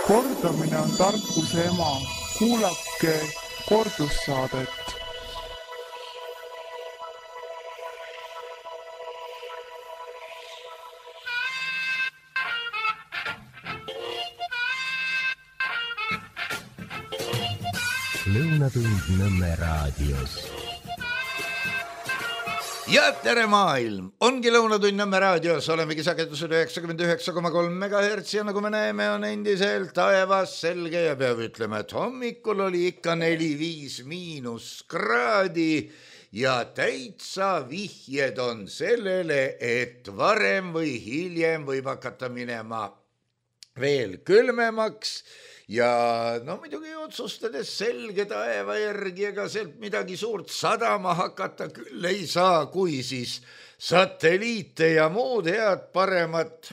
Kordamine on tarkuse ema. Kuulake kordussaadet. Lõunatund Nõmme raadios. Ja tere maailm! Ongi Lõunatund Nõmme raadios, olemegi sagedusel 99,3 MHz ja nagu me näeme, on endiselt taevas selge ja peab ütlema, et hommikul oli ikka 4-5 miinuskraadi ja täitsa vihjed on sellele, et varem või hiljem võib hakata minema veel külmemaks. Ja no muidugi otsustades selge taeva järgi, ega sealt midagi suurt sadama hakata küll ei saa, kui siis satelliite ja muud head paremat.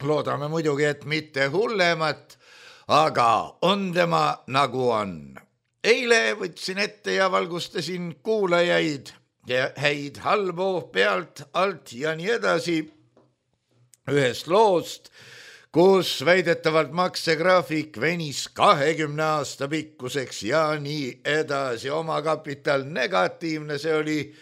Loodame muidugi, et mitte hullemat, aga on tema nagu on. Eile võtsin ette ja valgustasin kuulajaid ja häid halbu pealt, alt ja nii edasi ühest loost, kus väidetavalt maksegraafik venis 20 aasta pikkuseks ja nii edasi. Omakapital negatiivne, see oli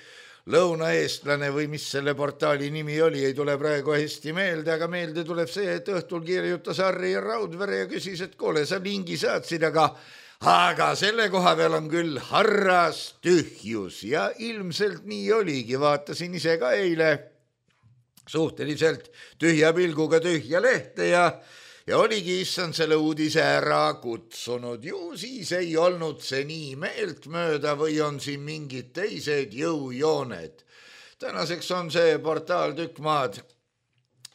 Lõunaeestlane või mis selle portaali nimi oli, ei tule praegu hästi meelde, aga meelde tuleb see, et õhtul kirjutas Harri Raudvere ja küsis, et kuule, sa lingi saatsid, aga selle koha peal on küll harras tühjus ja ilmselt nii oligi, vaatasin ise ka eile suhteliselt tühja pilguga tühja lehte ja oligi issand selle uudise ära kutsunud. Ju siis ei olnud see nii meeltmööda või on siin mingid teised jõujooned. Tänaseks on see portaal tükk maad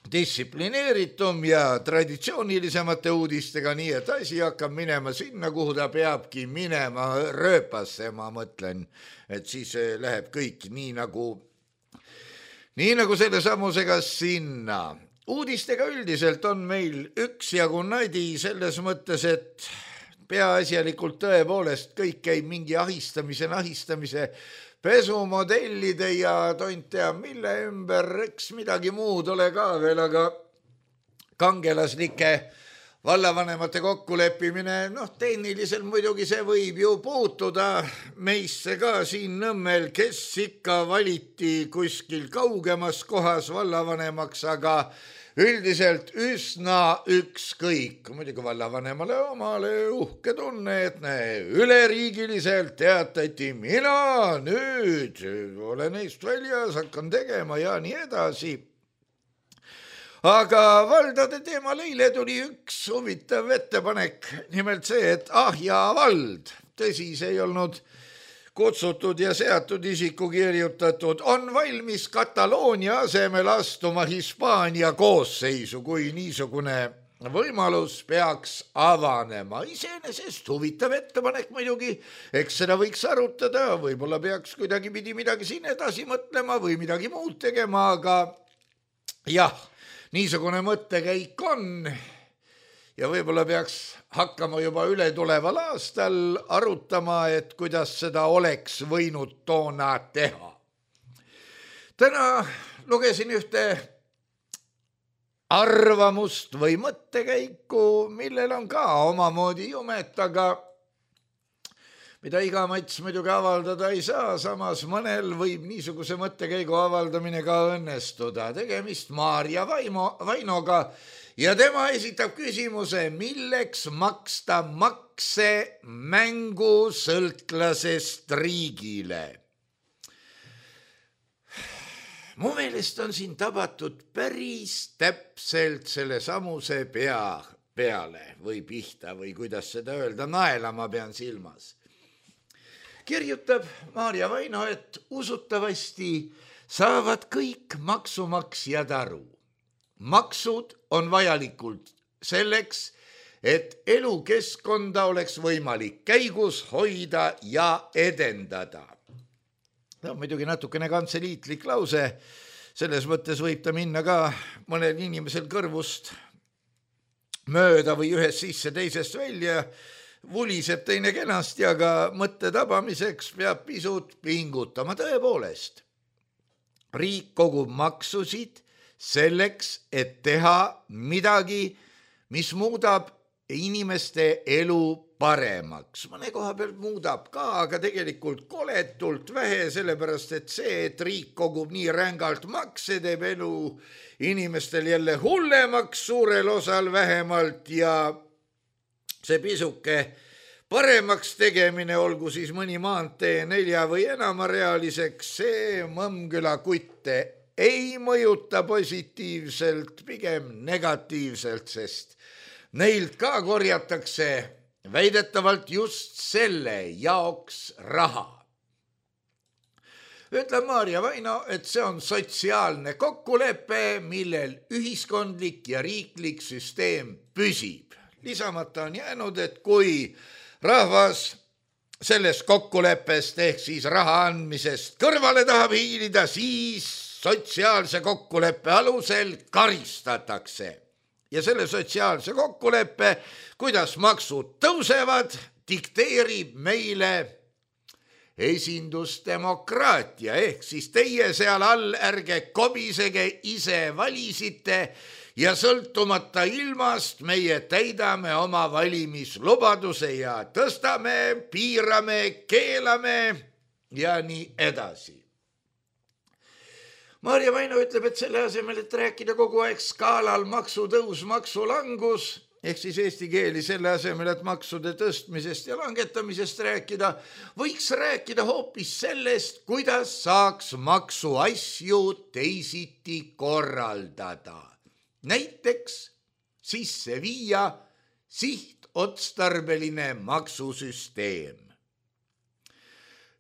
distsiplineeritum ja traditsioonilisemate uudistega, nii et asi hakkab minema sinna, kuhu ta peabki minema, rööpasse, ma mõtlen, et siis läheb kõik nii nagu selle samusega sinna. Uudistega üldiselt on meil üksjagu nadi selles mõttes, et peaasjalikult tõepoolest kõik käib mingi ahistamise, pesumodellide ja tont tea mille ümber, eks midagi muud ole ka veel, aga kangelaslike vallavanemate kokkuleppimine, tehniliselt muidugi see võib ju puutuda meisse ka siin Nõmmel, kes ikka valiti kuskil kaugemas kohas vallavanemaks, aga üldiselt üsna ükskõik. Muidugi vallavanemale omale uhke tunne, et üleriigiliselt teatati, mina nüüd olen neist väljas, hakkan tegema ja nii edasi. Aga valdade teemal eile tuli üks huvitav ettepanek, nimelt see, et ja vald, tõsi, see ei olnud kutsutud ja seatud isiku kirjutatud, on valmis Kataloonia asemel astuma Hispaania koosseisu, kui niisugune võimalus peaks avanema. Iseenesest huvitav ettepanek muidugi, eks seda võiks arutada, võib-olla peaks kuidagipidi midagi siin edasi mõtlema või midagi muud tegema, aga jah, niisugune mõttekäik on ja võib-olla peaks hakkama juba üle tuleval aastal arutama, et kuidas seda oleks võinud toona teha. Täna lugesin ühte arvamust või mõttekäiku, millel on ka omamoodi jumet, aga mida iga mats muidugi avaldada ei saa, samas mõnel võib niisuguse mõttekäigu avaldamine ka õnnestuda. Tegemist Maarja Vainoga ja tema esitab küsimuse, milleks maksta makse mängusõltlasest riigile. Mu meelest on siin tabatud päris täpselt selle samuse peale või pihta või kuidas seda öelda, naela ma pean silmas. Kirjutab Maarja Vaino, et usutavasti saavad kõik maksumaksjad aru. Maksud on vajalikud selleks, et elukeskkonda oleks võimalik käigus hoida ja edendada. Muidugi natukene kantseliitlik lause, selles mõttes võib ta minna ka mõnel inimesel kõrvust mööda või ühest sisse teisest välja, vuliseb teine kenasti, aga mõtte tabamiseks peab pisut pingutama. Tõepoolest, riik kogub maksusid selleks, et teha midagi, mis muudab inimeste elu paremaks. Mõne koha pealt muudab ka, aga tegelikult koletult vähe, sellepärast et see, et riik kogub nii rängalt makse, teeb elu inimestel jälle hullemaks, suurel osal vähemalt, ja see pisuke paremaks tegemine, olgu siis mõni maantee 4 või enamarealiseks, see Mõmmküla kutte ei mõjuta positiivselt, pigem negatiivselt, sest neilt ka korjatakse väidetavalt just selle jaoks raha. Ütleb Maarja Vaino, et see on sotsiaalne kokkulepe, millel ühiskondlik ja riiklik süsteem püsib. Lisamata on jäänud, et kui rahvas sellest kokkuleppest ehk siis raha andmisest kõrvale tahab hiilida, siis sotsiaalse kokkuleppe alusel karistatakse. Ja selle sotsiaalse kokkuleppe, kuidas maksud tõusevad, dikteerib meile esindusdemokraatia, ehk siis teie seal all ärge kobisege, ise valisite ja sõltumata ilmast meie täidame oma valimislubaduse ja tõstame, piirame, keelame ja nii edasi. Maarja Vaino ütleb, et selle asemel, et rääkida kogu aeg skaalal maksutõus, maksulangus, ehk siis eesti keeli selle asemel, et maksude tõstmisest ja langetamisest rääkida, võiks rääkida hoopis sellest, kuidas saaks maksuasju teisiti korraldada. Näiteks sisse viia sihtotstarbeline maksusüsteem.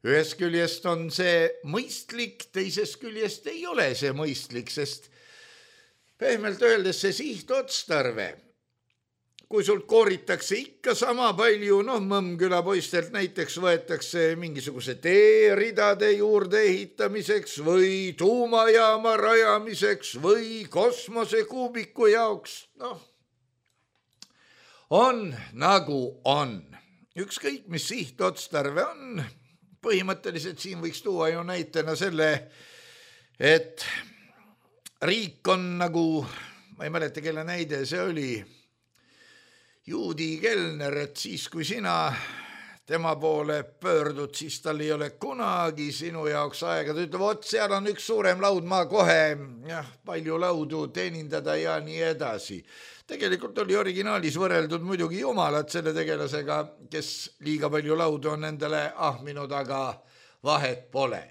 Ühest küljest on see mõistlik, teisest küljest ei ole see mõistlik, sest pehmelt öeldes see sihtotstarve, kui sult kooritakse ikka sama palju, Mõmmküla poistelt näiteks võetakse mingisuguse teeridade juurde ehitamiseks või tuumajaama rajamiseks või kosmosekuubiku jaoks, on nagu on. Ükskõik, mis sihtotstarve on, põhimõtteliselt siin võiks tuua ju näitena selle, et riik on nagu, ma ei mäleta, kelle näide see oli, juudi kelner, et siis kui sina tema poole pöördud, siis tal ei ole kunagi sinu jaoks aega. Ta ütleb, seal on üks suurem laud, ma kohe palju laudu teenindada ja nii edasi. Tegelikult oli originaalis võrreldud muidugi jumalat selle tegelasega, kes liiga palju laudu on endale ahminud, aga vahet pole.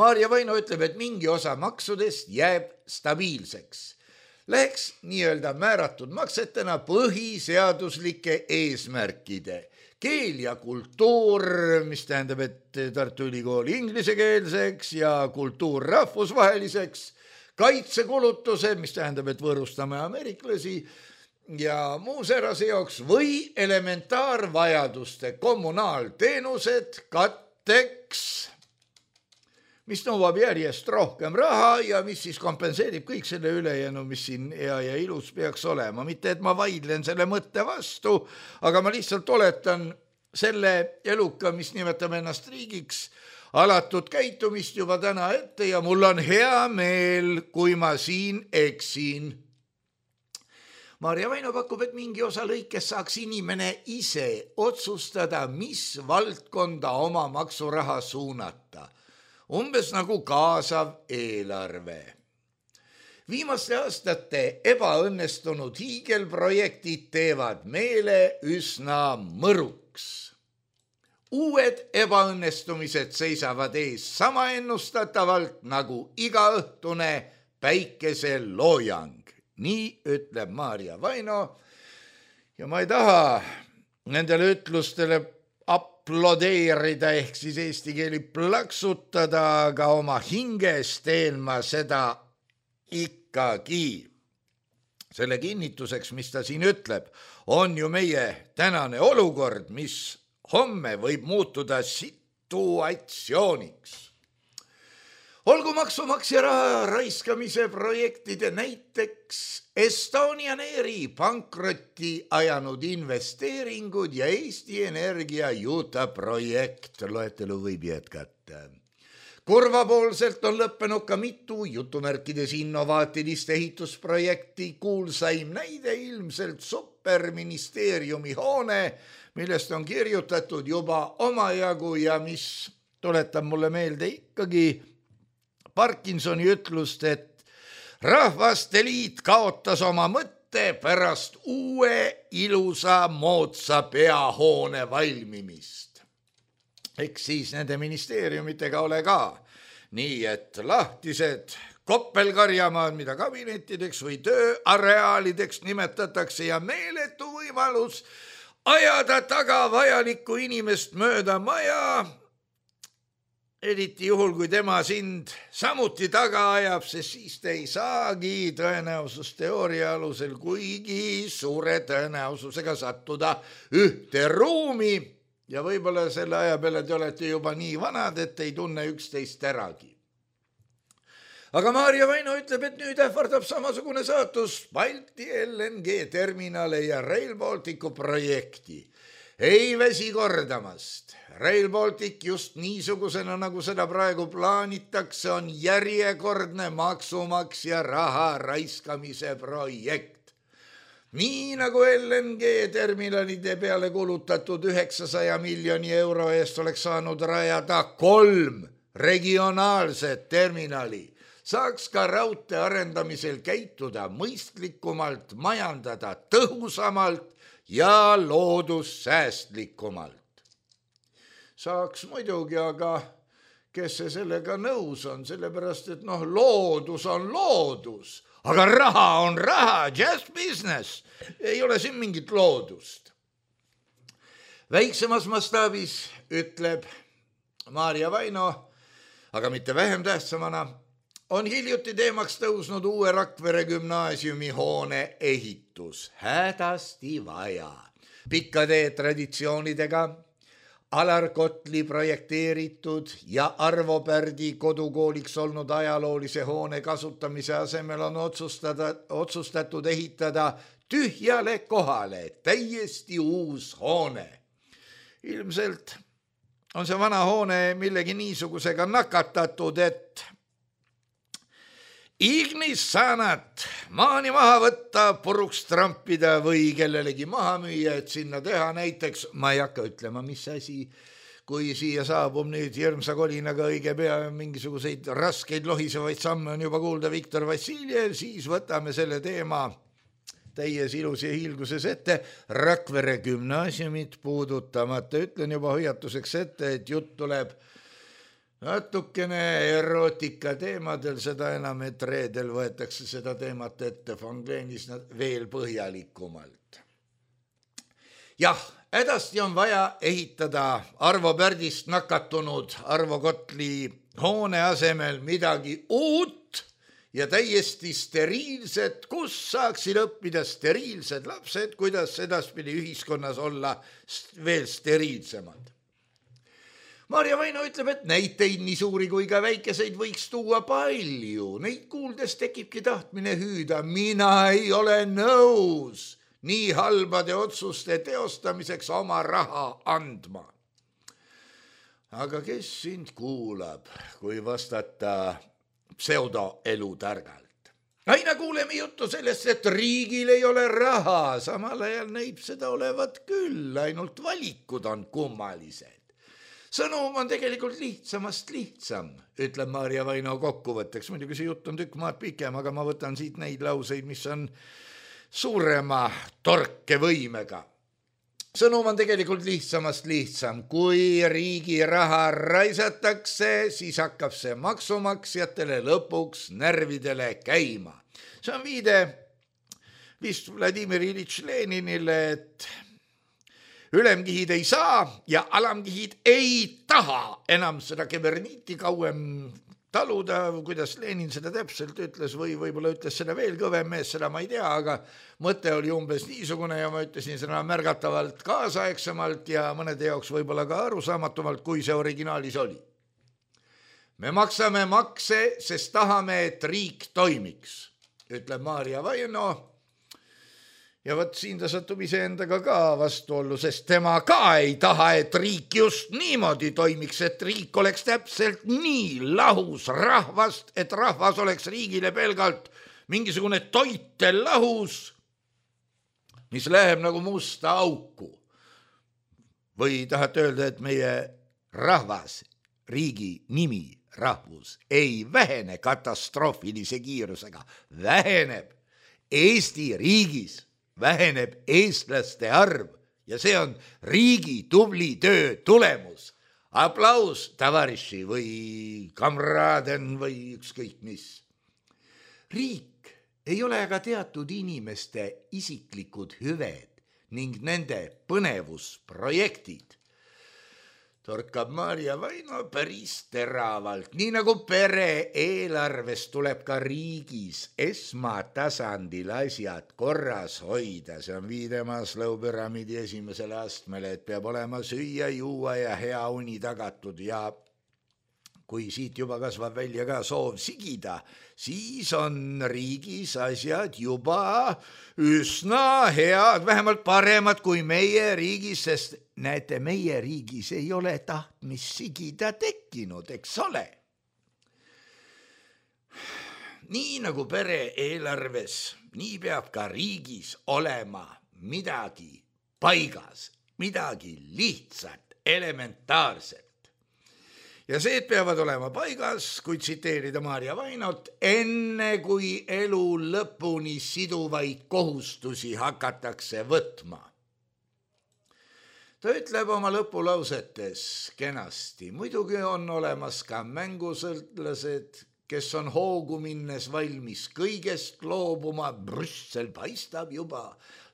Maarja Vaino ütleb, et mingi osa maksudest jääb stabiilseks. Läheks nii-öelda määratud maksetena põhiseaduslike eesmärkide. Keel ja kultuur, mis tähendab, et Tartu Ülikooli inglisekeelseks ja kultuur rahvusvaheliseks, kaitsekulutused, mis tähendab, et võõrustame ameeriklasi ja muu säärase jaoks või elementaarvajaduste kommunaalteenused katteks, mis nõuab järjest rohkem raha ja mis siis kompenseerib kõik selle ülejäänu, mis siin hea ja ilus peaks olema. Mitte, et ma vaidlen selle mõtte vastu, aga ma lihtsalt oletan selle eluka, mis nimetab ennast riigiks, alatud käitumist juba täna ette ja mul on hea meel, kui ma siin eksin. Maarja Vaino pakub, et mingi osa lõikes saaks inimene ise otsustada, mis valdkonda oma maksuraha suunata. Umbes nagu kaasav eelarve. Viimaste aastate ebaõnnestunud hiigelprojektid teevad meele üsna mõruks. Uued ebaõnnestumised seisavad ees sama ennustatavalt nagu igaõhtune päikeseloojang. Nii ütleb Maarja Vaino ja ma ei taha nendele ütlustele aplodeerida ehk siis eesti keeli plaksutada, aga oma hinges teen ma seda ikkagi. Selle kinnituseks, mis ta siin ütleb, on ju meie tänane olukord, mis homme võib muutuda situatsiooniks. Olgu maksumaksja raha raiskamise projektide näiteks Estonian Airi pankrotti ajanud investeeringud ja Eesti Energia Utah projekt, loetelu võib jätkata. Kurvapoolselt on lõppenud ka mitu jutumärkides innovaatilist ehitusprojekti. Kuulsaim näide ilmselt superministeeriumi hoone, millest on kirjutatud juba omajagu ja mis tuletab mulle meelde ikkagi Parkinsoni ütlust, et Rahvaste Liit kaotas oma mõtte pärast uue ilusa moodsa peahoone valmimist. Eks siis nende ministeeriumitega ole ka nii, et lahtised koppelkarjamaad, mida kabinettideks või tööareaalideks nimetatakse ja meeletu võimalus ajada taga vajalikku inimest mööda maja, eriti juhul, kui tema sind samuti taga ajab, sest siis te ei saagi tõenäosusteooria alusel kuigi suure tõenäosusega sattuda ühte ruumi ja võib-olla selle aja peale te olete juba nii vanad, et ei tunne üksteist äragi. Aga Maarja Vaino ütleb, et nüüd ähvardab samasugune saatus Balti LNG terminale ja Rail Balticu projekti. Ei väsi kordamast. Rail Baltic just niisugusena, nagu seda praegu plaanitakse, on järjekordne maksumaksja raha raiskamise projekt. Nii nagu LNG terminalide peale kulutatud 900 miljoni euro eest oleks saanud rajada 3 regionaalset terminali, saaks ka raudtee arendamisel käituda mõistlikumalt, majandada tõhusamalt ja loodussäästlikumalt. Saaks muidugi, aga kes see sellega nõus on, sellepärast et loodus on loodus. Aga raha on raha, just business. Ei ole siin mingit loodust. Väiksemas mastaabis ütleb Maarja Vaino, aga mitte vähem tähtsamana, on hiljuti teemaks tõusnud uue Rakvere gümnaasiumi hoone ehitus. Hädasti vaja. Pikkade traditsioonidega Alar Kotli projekteeritud ja Arvo Pärdi kodukooliks olnud ajaloolise hoone kasutamise asemel on otsustatud ehitada tühjale kohale täiesti uus hoone. Ilmselt on see vana hoone millegi niisugusega nakatatud, et ignis saanat maani maha võtta, puruks trampida või kellelegi maha müüa, et sinna teha näiteks, ma ei hakka ütlema, mis asi, kui siia saabub nüüd hirmsa kolinaga õige pea mingisuguseid raskeid lohisevaid samme on juba kuulda Viktor Vassiljev, siis võtame selle teema täies ilus ja hiilguses ette Rakvere gümnaasiumit puudutamata. Ütlen juba hoiatuseks ette, et jutt tuleb natukene erootika teemadel, seda enam, et reedel võetakse seda teemat ette Fongleenis veel põhjalikumalt. Jah, hädasti on vaja ehitada Arvo Pärdist nakatunud Arvo Kotli hoone asemel midagi uut ja täiesti steriilset, kus saaksid õppida steriilsed lapsed, kuidas edaspidi ühiskonnas olla veel steriilsemad. Maarja Vaino ütleb, et näiteid nii suuri kui ka väikeseid võiks tuua palju. Neid kuuldes tekibki tahtmine hüüda. Mina ei ole nõus nii halbade otsuste teostamiseks oma raha andma. Aga kes sind kuulab, kui vastata pseudoelutargalt? Aina kuuleme juttu sellest, et riigil ei ole raha. Samal ajal näib seda olevat küll, ainult valikud on kummalised. Sõnum on tegelikult lihtsamast lihtsam, ütleb Maarja Vaino kokkuvõtteks. Muidugi see jutt on tükk maad pikem, aga ma võtan siit neid lauseid, mis on suurema torkevõimega. Sõnum on tegelikult lihtsamast lihtsam. Kui riigi raha raisatakse, siis hakkab see maksumaksjatele lõpuks närvidele käima. See on viide vist Vladimir Ilitš Leninile, et ülemkihid ei saa ja alamkihid ei taha enam seda keberniiti kauem taluda, kuidas Lenin seda täpselt ütles või võib-olla ütles seda veel kõvem mees, seda ma ei tea, aga mõte oli umbes niisugune ja ma ütlesin seda märgatavalt kaasaegsemalt ja mõnede jaoks võib-olla ka arusaamatumalt, kui see originaalis oli. Me maksame makse, sest tahame, et riik toimiks, ütleb Maarja Vaino. Ja võt siin ta satub iseendaga ka vastuollu, sest tema ka ei taha, et riik just niimoodi toimiks, et riik oleks täpselt nii lahus rahvast, et rahvas oleks riigile pelgalt mingisugune toitel lahus, mis läheb nagu musta auku. Või tahate öelda, et meie rahvas, riigi nimi, rahvus ei vähene katastroofilise kiirusega, väheneb Eesti riigis. Väheneb eestlaste arv ja see on riigi tubli töö tulemus. Aplaus, tavariši või kamraden või ükskõik mis. Riik ei ole aga teatud inimeste isiklikud hüved ning nende põnevusprojektid. Torkab Maarja Vaino päris teravalt, nii nagu pere eelarves tuleb ka riigis esmatasandil asjad korras hoida. See on viide Maslow püramiidi esimesele astmele, et peab olema süüa, juua ja hea uni tagatud ja kui siit juba kasvab välja ka soov sigida, siis on riigis asjad juba üsna head, vähemalt paremad kui meie riigis, sest näete, meie riigis ei ole tahtmist sigida tekkinud, eks ole. Nii nagu pere eelarves, nii peab ka riigis olema midagi paigas, midagi lihtsat, elementaarset. Ja see peavad olema paigas, kui tsiteerida Maarja Vainot, enne kui elu lõpuni siduvaid kohustusi hakatakse võtma. Ta ütleb oma lõpulausetes kenasti, muidugi on olemas ka mängusõltlased, kes on hoogu minnes valmis kõigest loobuma, Brüssel paistab juba,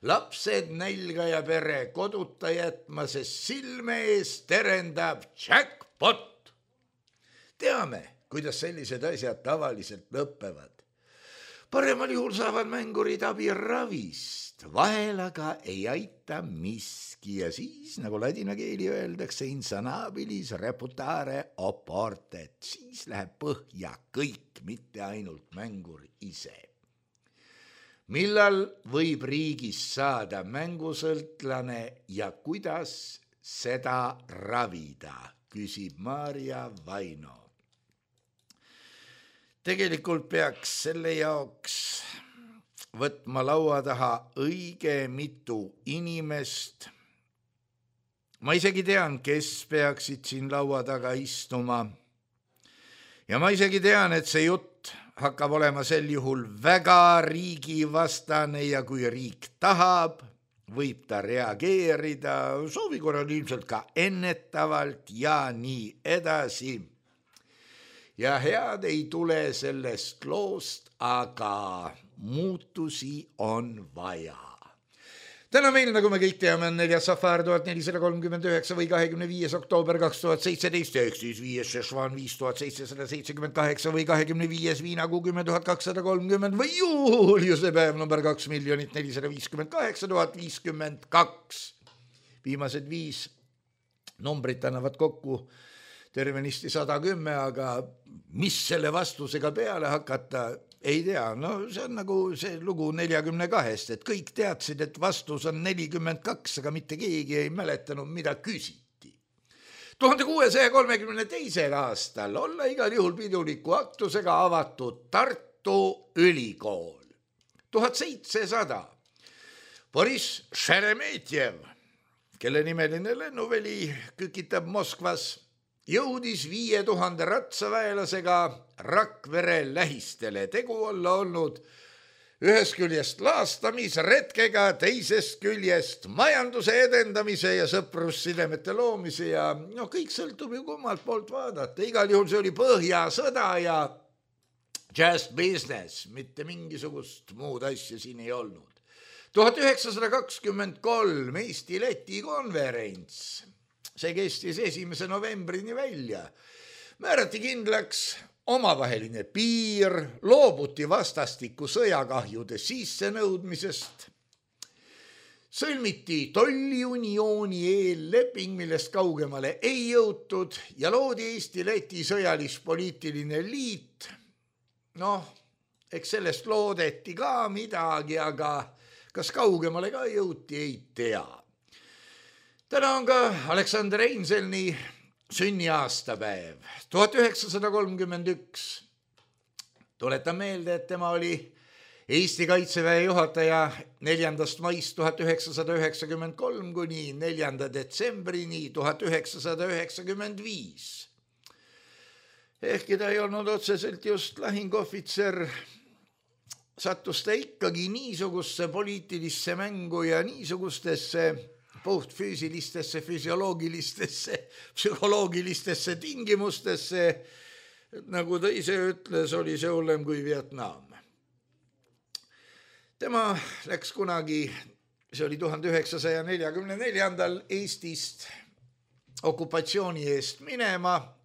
lapsed nälga ja pere koduta jätma, sest silme ees terendab jackpot. Teame, kuidas sellised asjad tavaliselt lõppevad. Paremal juhul saavad mängurid abi ravist, vahel aga ei aita miski ja siis, nagu ladina keeli öeldakse, insanabilis reputare oportet, siis läheb põhja kõik, mitte ainult mängur ise. Millal võib riigis saada mängusõltlane ja kuidas seda ravida, küsib Maarja Vaino. Tegelikult peaks selle jaoks võtma laua taha õige mitu inimest. Ma isegi tean, kes peaksid siin laua taga istuma. Ja ma isegi tean, et see jutt hakkab olema sel juhul väga riigivastane ja kui riik tahab, võib ta reageerida, soovi korral ilmselt ka ennetavalt ja nii edasi. Ja head ei tule sellest loost, aga muutusi on vaja. Täna meil, nagu me kõik teame, on 4. safar 1439 või 25. oktoober 2017, ehk siis 5. šešvan 5778 või 25. viinakuu 10.230 või juuliuse päev number 2 458 052. Viimased 5 numbrit annavad kokku tervenisti 110, aga mis selle vastusega peale hakata, ei tea. No see on nagu see lugu 42, et kõik teadsid, et vastus on 42, aga mitte keegi ei mäletanud, mida küsiti. 1632. aastal olla igal juhul piduliku aktusega avatud Tartu Ülikool. 1700. Boris Šeremetjev, kelle nimeline lennuväli kükitab Moskvas, jõudis 5000 ratsaväelasega Rakvere lähistele. Tegu olla olnud ühest küljest laastamisretkega, teisest küljest majanduse edendamise ja sõprussidemete loomise ja kõik sõltub ju kummalt poolt vaadata. Igal juhul see oli Põhjasõda ja just business, mitte mingisugust muud asja siin ei olnud. 1923 Eesti-Läti konverents. See kestis 1. novembrini välja. Määrati kindlaks omavaheline piir, loobuti vastastiku sõjakahjude sissenõudmisest. Sõlmiti tolliuniooni eelleping, millest kaugemale ei jõutud ja loodi Eesti-Läti sõjalis-poliitiline liit. Eks sellest loodeti ka midagi, aga Kas kaugemale ka jõuti, ei tea. Täna on ka Aleksander Einselni sünniaastapäev, 1931. Tuletan meelde, et tema oli Eesti Kaitseväe juhataja 4. maist 1993 kuni 4. detsembrini 1995. Ehkki ta ei olnud otseselt just lahinguohvitser, sattus ta ikkagi niisugusesse poliitilisse mängu ja niisugustesse puhtfüüsilistesse, füsioloogilistesse, psühholoogilistesse tingimustesse, nagu ta ise ütles, oli see hullem kui Vietnam. Tema läks kunagi, see oli 1944. Eestist okupatsiooni eest minema.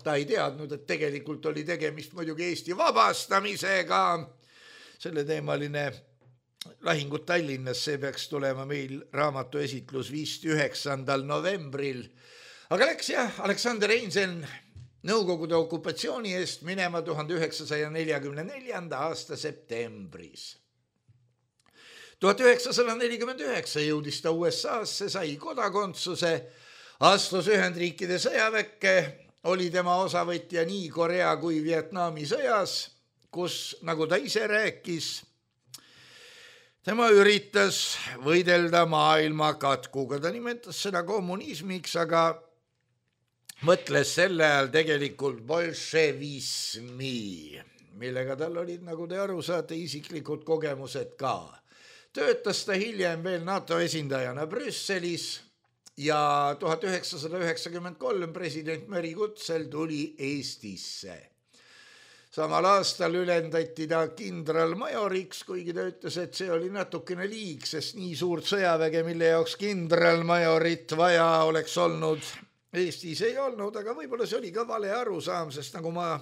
Ta ei teadnud, et tegelikult oli tegemist muidugi Eesti vabastamisega. Selle teemaline lahingud Tallinnas, see peaks tulema meil raamatu esitlus 9. novembril. Aga läks Aleksander Einseln Nõukogude okupatsiooni eest minema 1944. aasta septembris. 1949 jõudis ta USA-sse, sai kodakondsuse, astus Ühendriikide sõjaväkke, oli tema osavõtja nii Korea kui Vietnami sõjas, kus, nagu ta ise rääkis, tema üritas võidelda maailma katkuga. Ta nimetas seda kommunismiks, aga mõtles selle ajal tegelikult bolševismi, millega tal olid, nagu te aru saate, isiklikud kogemused ka. Töötas ta hiljem veel NATO esindajana Brüsselis ja 1993 president Meri kutsel tuli Eestisse. Samal aastal ülendati ta kindralmajoriks, kuigi ta ütles, et see oli natukene liig, sest nii suurt sõjaväge, mille jaoks kindralmajorit vaja oleks olnud, Eestis ei olnud, aga võib-olla see oli ka vale arusaam, sest nagu ma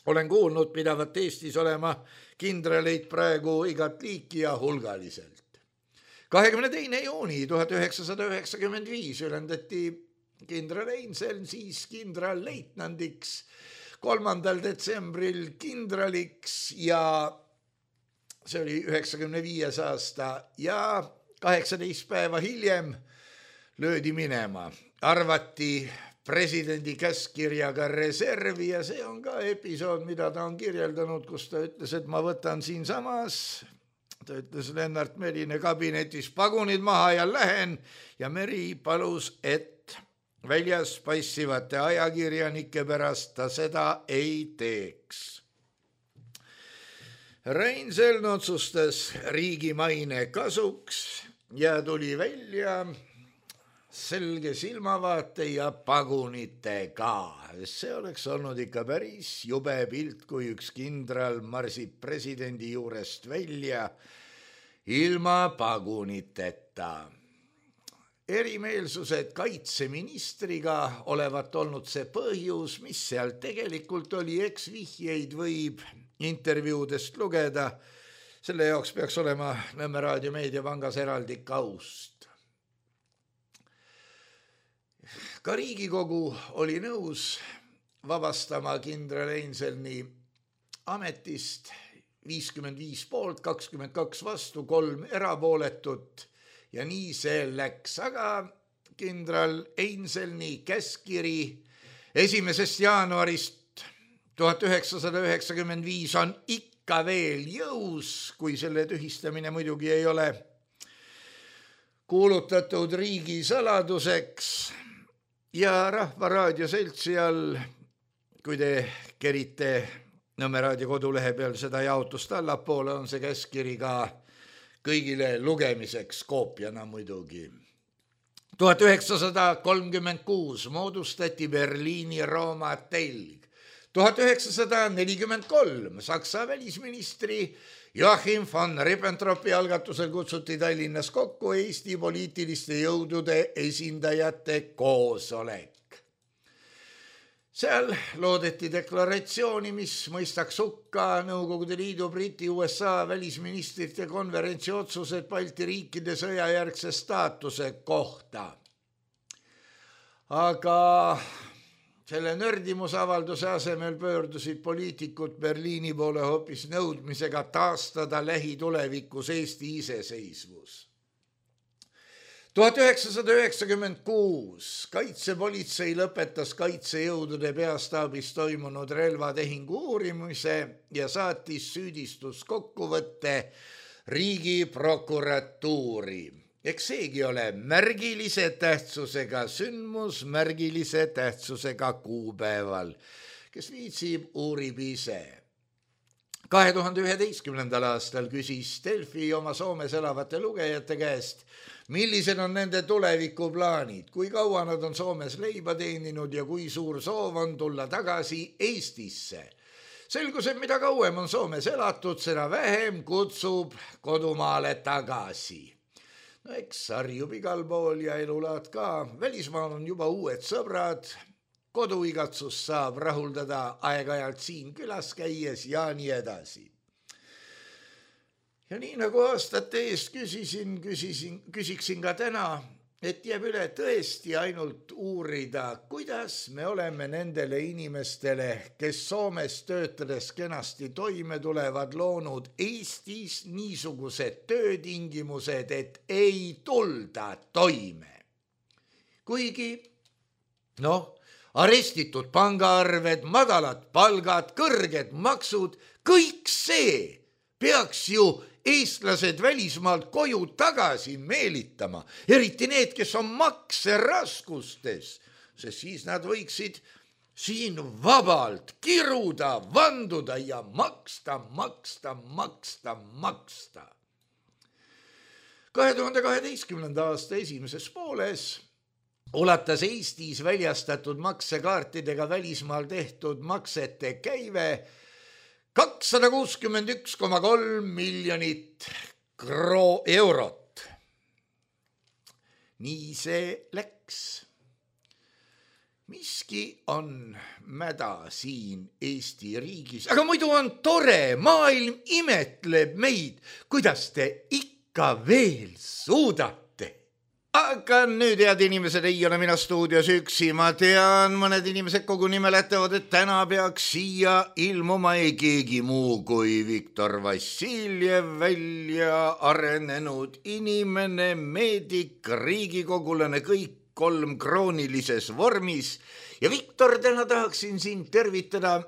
olen kuulnud, pidavat Eestis olema kindraleid praegu igat liiki ja hulgaliselt. 22. juuni 1995 ülendati kindral Einseln siis kindralleitnandiks, 3. detsembril kindraliks ja see oli 95. aasta ja 18 päeva hiljem löödi minema. Arvati presidendi käskkirjaga reservi ja see on ka episood, mida ta on kirjeldanud, kus ta ütles, et ma võtan siinsamas, ta ütles Lennart Merine kabinetis pagunid maha ja lähen ja Meri palus, et väljas paissivate ajakirjanike pärast ta seda ei teeks. Einseln otsustas riigi maine kasuks ja tuli välja selge silmavaate ja pagunitega. See oleks olnud ikka päris jube pilt, kui üks kindral marsib presidendi juurest välja ilma paguniteta. Erimeelsused kaitseministriga olevat olnud see põhjus, mis seal tegelikult oli, eks vihjeid võib intervjuudest lugeda. Selle jaoks peaks olema Nõmme Raadio Meediapangas eraldi kaust. Ka Riigikogu oli nõus vabastama kindral Einselni ametist, 55 poolt, 22 vastu, 3 erapooletut ja nii see läks. Aga kindral Einselni käskkiri 1. jaanuarist 1995 on ikka veel jõus, kui selle tühistamine muidugi ei ole kuulutatud riigisaladuseks. Ja Rahva Raadio seltsi all, kui te kerite Nõmme Raadio kodulehe peal seda jaotust allapoole, on see käskkiri ka kõigile lugemiseks koopiana muidugi. 1936 moodustati Berliini-Rooma telg. 1943 Saksa välisministri Joachim von Ribbentropi algatusel kutsuti Tallinnas kokku Eesti poliitiliste jõudude esindajate koosolek. Seal loodeti deklaratsiooni, mis mõistaks hukka Nõukogude Liidu, Briti, USA välisministrite konverentsi otsused Balti riikide sõjajärgse staatuse kohta. Aga Selle nördimusavalduse asemel pöördusid poliitikud Berliini poole hoopis nõudmisega taastada lähitulevikus Eesti iseseisvus. 1996 kaitsepolitsei lõpetas kaitsejõudude peastaabis toimunud relvatehingu uurimise ja saatis süüdistuskokkuvõtte Riigiprokuratuuri. Eks seegi ole märgilise tähtsusega sündmus märgilise tähtsusega kuupäeval, kes viitsib, uurib ise. 2011. aastal küsis Delfi oma Soomes elavate lugejate käest, millised on nende tulevikuplaanid, kui kaua nad on Soomes leiba teeninud ja kui suur soov on tulla tagasi Eestisse. Selgus, et mida kauem on Soomes elatud, seda vähem kutsub kodumaale tagasi. No eks harjub igal pool ja elulaad ka. Välismaal on juba uued sõbrad. Koduigatsus saab rahuldada aeg-ajalt siin külas käies ja nii edasi. Ja nii nagu aastate eest küsiksin ka täna, et jääb üle tõesti ainult uurida, kuidas me oleme nendele inimestele, kes Soomes töötades kenasti toime tulevad, loonud Eestis niisugused töötingimused, et ei tulda toime. Kuigi, arestitud pangaarved, madalad palgad, kõrged maksud, kõik see peaks ju eestlased välismaalt koju tagasi meelitama, eriti need, kes on makseraskustes, sest siis nad võiksid siin vabalt kiruda, vanduda ja maksta. 2012. aasta esimeses pooles ulatas Eestis väljastatud maksekaartidega välismaal tehtud maksete käive 261,3 miljonit eurot. Nii see läks. Miski on mäda siin Eesti riigis, aga muidu on tore, maailm imetleb meid, kuidas te ikka veel suudate. Aga nüüd, head inimesed, ei ole mina stuudios üksi, ma tean, mõned inimesed koguni mäletavad, et täna peaks siia ilmuma ei keegi muu kui Viktor Vassiljev, välja arenenud inimene, meedik, riigikogulane, kõik 3 kroonilises vormis. Ja Viktor, täna tahaksin sind tervitada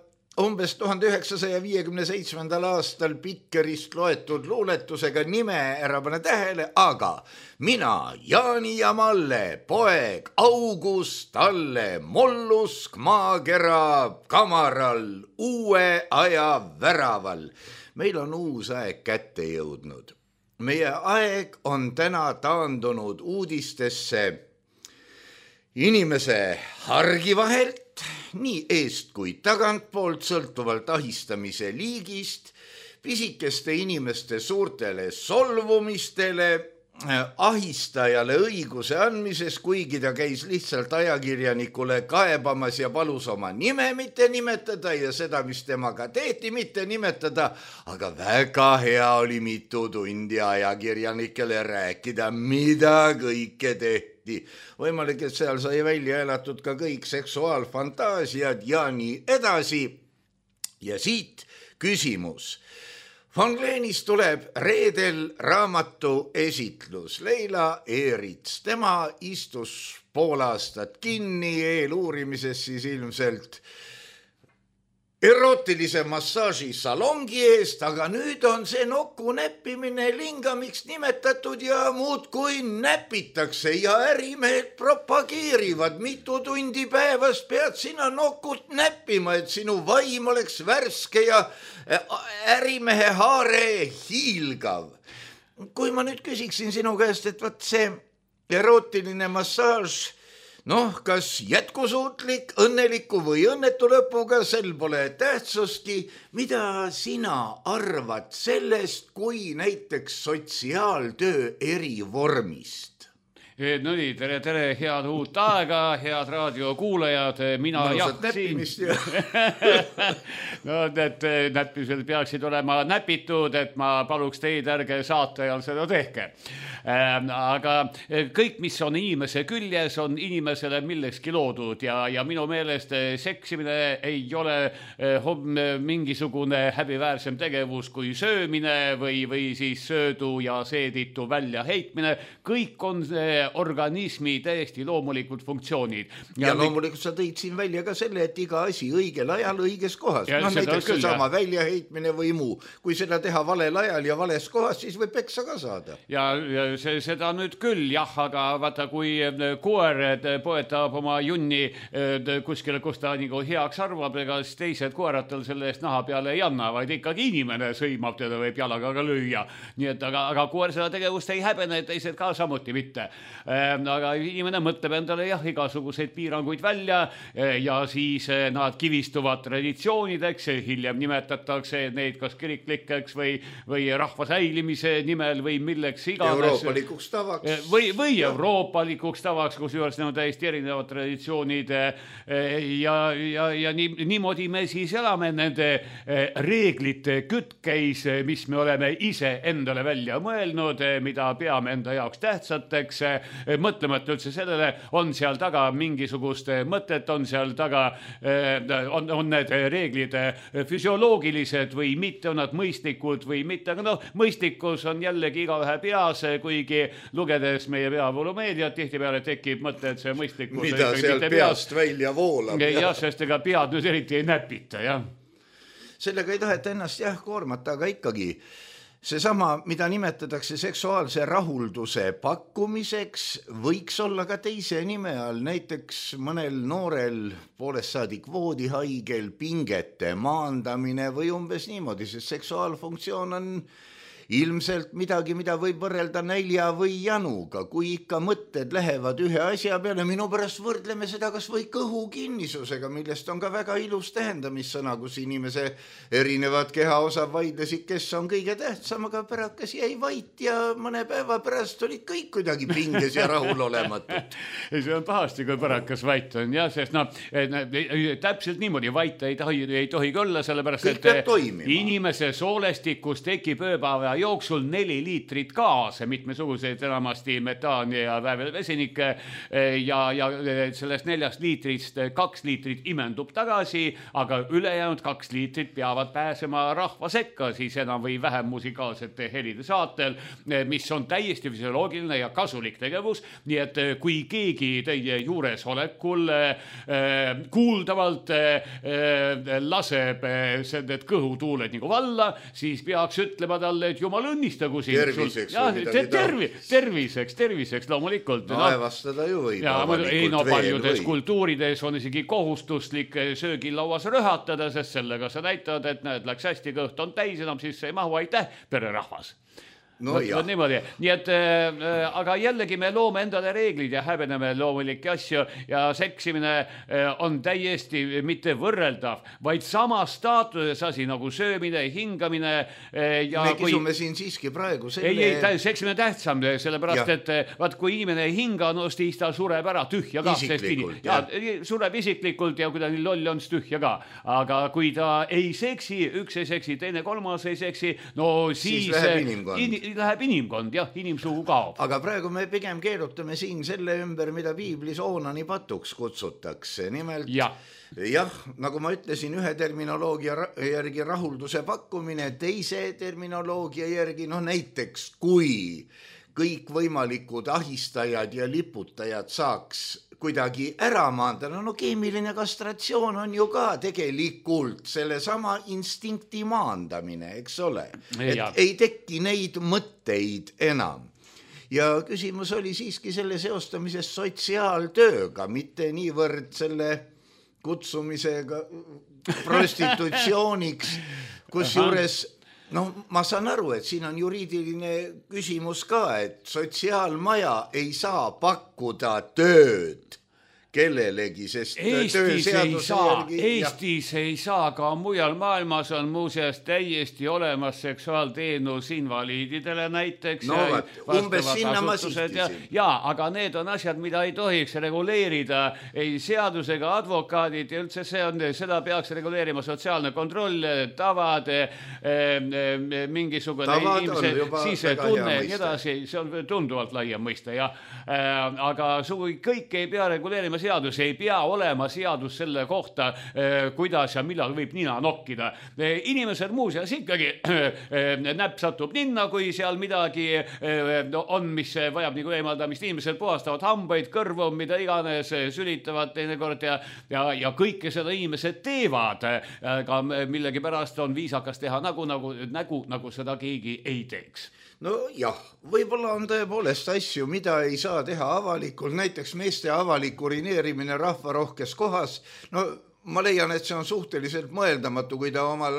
umbes 1957. aastal Pikkerist loetud luuletusega, nime ära pane tähele, aga mina, Jaani ja Malle, poeg August Talle, mollusk maakera kamaral, uue aja väraval. Meil on uus aeg kätte jõudnud. Meie aeg on täna taandunud uudistesse inimese hargi vahelt, nii eest kui tagantpoolt, sõltuvalt ahistamise liigist, pisikeste inimeste suurtele solvumistele, ahistajale õiguse andmises, kuigi ta käis lihtsalt ajakirjanikule kaebamas ja palus oma nime mitte nimetada ja seda, mis temaga tehti, mitte nimetada, aga väga hea oli mitu tundi ajakirjanikele rääkida, mida kõike tehti. Võimalik, et seal sai välja elatud ka kõik seksuaalfantaasiad ja nii edasi. Ja siit küsimus. Von Glenist tuleb reedel raamatu esitlus. Leila Eerits, tema istus pool aastat kinni eeluurimises siis ilmselt erootilise massaaži salongi eest, aga nüüd on see nokku näppimine lingamiks nimetatud ja muudkui näpitakse ja ärimehed propageerivad, mitu tundi päevas pead sina nokut näppima, et sinu vaim oleks värske ja ärimehe haare hiilgav. Kui ma nüüd küsiksin sinu käest, et võt see erootiline massaaž, kas jätkusuutlik, õnneliku või õnnetu lõpuga, sel pole tähtsustki. Mida sina arvad sellest kui näiteks sotsiaaltöö erivormist? No nii, tere, head uut aega, head raadiokuulajad, mina Mõnusat näppimist ja no need näppimised peaksid olema näpitud, et ma paluks teid, ärge saate ajal seda tehke. Aga kõik, mis on inimese küljes, on inimesele millekski loodud ja minu meelest seksimine ei ole mingisugune häbiväärsem tegevus kui söömine või siis söödu ja seeditu väljaheitmine. Kõik on organismi täiesti loomulikud funktsioonid. Ja loomulikult sa tõid siin välja ka selle, et iga asi õigel ajal õiges kohas. No näiteks see sama väljaheitmine või muu. Kui seda teha valel ajal ja vales kohas, siis võib peksa ka saada. Ja seda nüüd küll, jah, aga vaata, kui koer poetab oma junni kuskile, kus ta nagu heaks arvab, ega teised koerad tal selle eest naha peale ei anna, vaid ikkagi inimene sõimab teda, võib jalaga ka lüüa. Nii et aga koer seda tegevust ei häbene, teised ka samuti mitte. Aga inimene mõtleb endale jah, igasuguseid piiranguid välja ja siis nad kivistuvad traditsioonideks, hiljem nimetatakse neid kas kiriklikeks või rahva säilimise nimel või milleks iganes. Euroopalikuks tavaks. Või euroopalikuks tavaks, kus juures need on täiesti erinevad traditsioonid ja niimoodi me siis elame nende reeglite kütkeis, mis me oleme ise endale välja mõelnud, mida peame enda jaoks tähtsateks, mõtlemata üldse sellele, on seal taga mingisugust mõtet, on seal taga, on need reeglid füsioloogilised või mitte, on nad mõistlikud või mitte, aga mõistlikkus on jällegi igaühe peas, kuigi lugedes meie peavoolumeediat tihtipeale tekib mõte, et see mõistlikkus mida seal peast välja voolab. Jah, sest ega pead nüüd eriti ei näpita, jah. Sellega ei taheta ennast koormata, aga ikkagi seesama, mida nimetatakse seksuaalse rahulduse pakkumiseks, võiks olla ka teise nime all, näiteks mõnel noorel poolest saadik voodihaigel pingete maandamine või umbes niimoodi, sest seksuaalfunktsioon on ilmselt midagi, mida võib võrrelda nälja või januga, kui ikka mõtted lähevad ühe asja peale. Minu pärast võrdleme seda kas või kõhukinnisusega, millest on ka väga ilus tähendamissõna, kus inimese erinevad kehaosad vaidlesid, kes on kõige tähtsam, aga pärakas jäi vait ja mõne päeva pärast olid kõik kuidagi pinges ja rahulolematud. See on pahasti, kui pärakas vait on, jah, sest täpselt niimoodi vait ei tohi olla, sellepärast, et inimese soolestikus tekib ööpäeva jooksul 4 liitrit gaase, mitmesuguseid enamasti metaani ja väävelvesinikke ja sellest 4 liitrist 2 liitrit imendub tagasi, aga ülejäänud 2 liitrit peavad pääsema rahva sekka, siis enam või vähem musikaalsete helide saatel, mis on täiesti füsioloogiline ja kasulik tegevus, nii et kui keegi teie juuresolekul kuuldavalt laseb need kõhutuuled nagu valla, siis peaks ütlema talle, et jumal õnnistagu siin. Terviseks loomulikult. Aevastada ju võib. Paljudes kultuurides on isegi kohustuslik söögilauas röhatada, sest sellega sa näitad, et näed, läks hästi, kõht on täis, enam siis ei mahu, aitäh, pererahvas. No niimoodi. Nii et, aga jällegi me loome endale reeglid ja häbeneme loomulikke asju ja seksimine on täiesti mitte võrreldav, vaid sama staatuses asi nagu söömine, hingamine. Me kisume siin siiski praegu selle... Ei, seksimine tähtsam, sellepärast, et vaat kui inimene ei hinga, no siis ta sureb ära tühja ka. Isiklikult, sureb isiklikult ja kui ta nii loll on, siis tühja ka. Aga kui ta ei seksi, üks ei seksi, teine kolmas ei seksi, no siis läheb inimkond, jah, inimsugu kaob. Aga praegu me pigem keerutame siin selle ümber, mida piiblis oonani patuks kutsutakse. Nimelt, jah, nagu ma ütlesin, ühe terminoloogia järgi rahulduse pakkumine, teise terminoloogia järgi, näiteks kui kõik võimalikud ahistajad ja liputajad saaks kuidagi ära maandada, keemiline kastratsioon on ju ka tegelikult sellesama instinkti maandamine, eks ole. Et ei tekki neid mõtteid enam. Ja küsimus oli siiski selle seostamisest sotsiaaltööga, mitte niivõrd selle kutsumisega prostitutsiooniks, kus juures ma saan aru, et siin on juriidiline küsimus ka, et sotsiaalmaja ei saa pakkuda tööd kellelegi, sest Eestis ei saa, ka mujal maailmas on muuseas täiesti olemas seksuaalteenus invaliididele näiteks. No umbes sinna ma sihtisin. Ja, aga need on asjad, mida ei tohiks reguleerida ei seadusega, advokaadid ja üldse seda peaks reguleerima sotsiaalne kontroll, tavad, mingisugune inimese sisetunne ja edasi, see on tunduvalt laiem mõiste. Aga kõik ei pea reguleerima seadus, ei pea olema seadus selle kohta, kuidas ja millal võib nina nokkida. Inimesed muuseas ikkagi näpp satub ninna, kui seal midagi on, mis vajab nagu eemaldamist. Inimesed puhastavad hambaid, kõrvu, mida iganes, sülitavad teinekord ja kõike seda inimesed teevad. Aga millegi pärast on viisakas teha nagu seda keegi ei teeks. No jah, võib-olla on tõepoolest asju, mida ei saa teha avalikult, näiteks meeste avalik urineerimine rahvarohkes kohas. No ma leian, et see on suhteliselt mõeldamatu, kui ta omal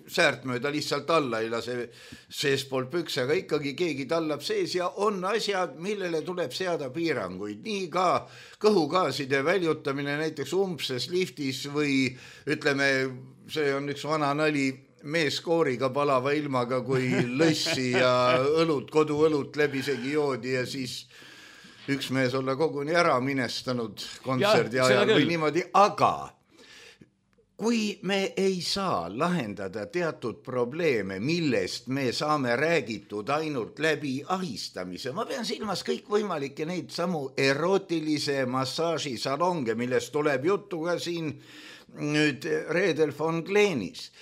säärt mööda lihtsalt alla ei lase seespool pükse, aga ikkagi keegi tallab sees ja on asjad, millele tuleb seada piiranguid. Nii ka kõhugaaside väljutamine näiteks umbses liftis või ütleme, see on üks vana nali, meeskooriga palava ilmaga, kui lõssi ja koduõlut läbisegi joodi ja siis üks mees olla koguni ära minestanud kontserdi ajal või niimoodi, aga kui me ei saa lahendada teatud probleeme, millest me saame räägitud ainult läbi ahistamise, ma pean silmas kõikvõimalikke neid samu erootilise massaažisalonge, millest tuleb juttu ka siin nüüd Reedel von Gleenis.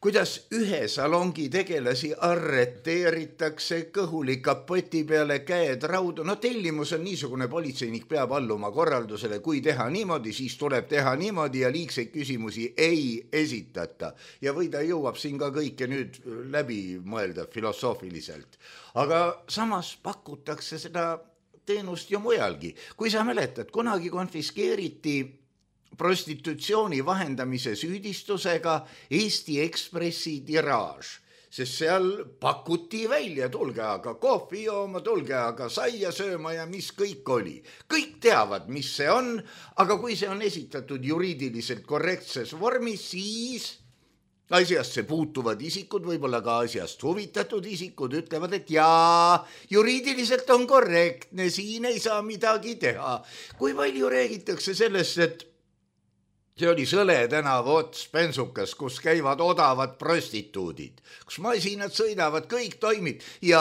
Kuidas ühe salongi tegelasi arreteeritakse, kõhuli kapoti peale, käed raudu. No tellimus on niisugune, politseinik peab alluma korraldusele, kui teha niimoodi, siis tuleb teha niimoodi ja liigseid küsimusi ei esitata. Ja või ta jõuab siin ka kõike nüüd läbi mõelda filosoofiliselt. Aga samas pakutakse seda teenust ju mujalgi. Kui sa mäletad, kunagi konfiskeeriti prostitutsiooni vahendamise süüdistusega Eesti Ekspressi tiraaž, sest seal pakuti välja, tulge aga kohvi jooma, tulge aga saia sööma ja mis kõik oli. Kõik teavad, mis see on, aga kui see on esitatud juriidiliselt korrektses vormis, siis asjasse puutuvad isikud, võib-olla ka asjast huvitatud isikud ütlevad, et jaa, juriidiliselt on korrektne, siin ei saa midagi teha. Kui palju räägitakse sellest, et see oli Sõle tänava ots Pensukas, kus käivad odavad prostituudid, kus masinad sõidavad, kõik toimib ja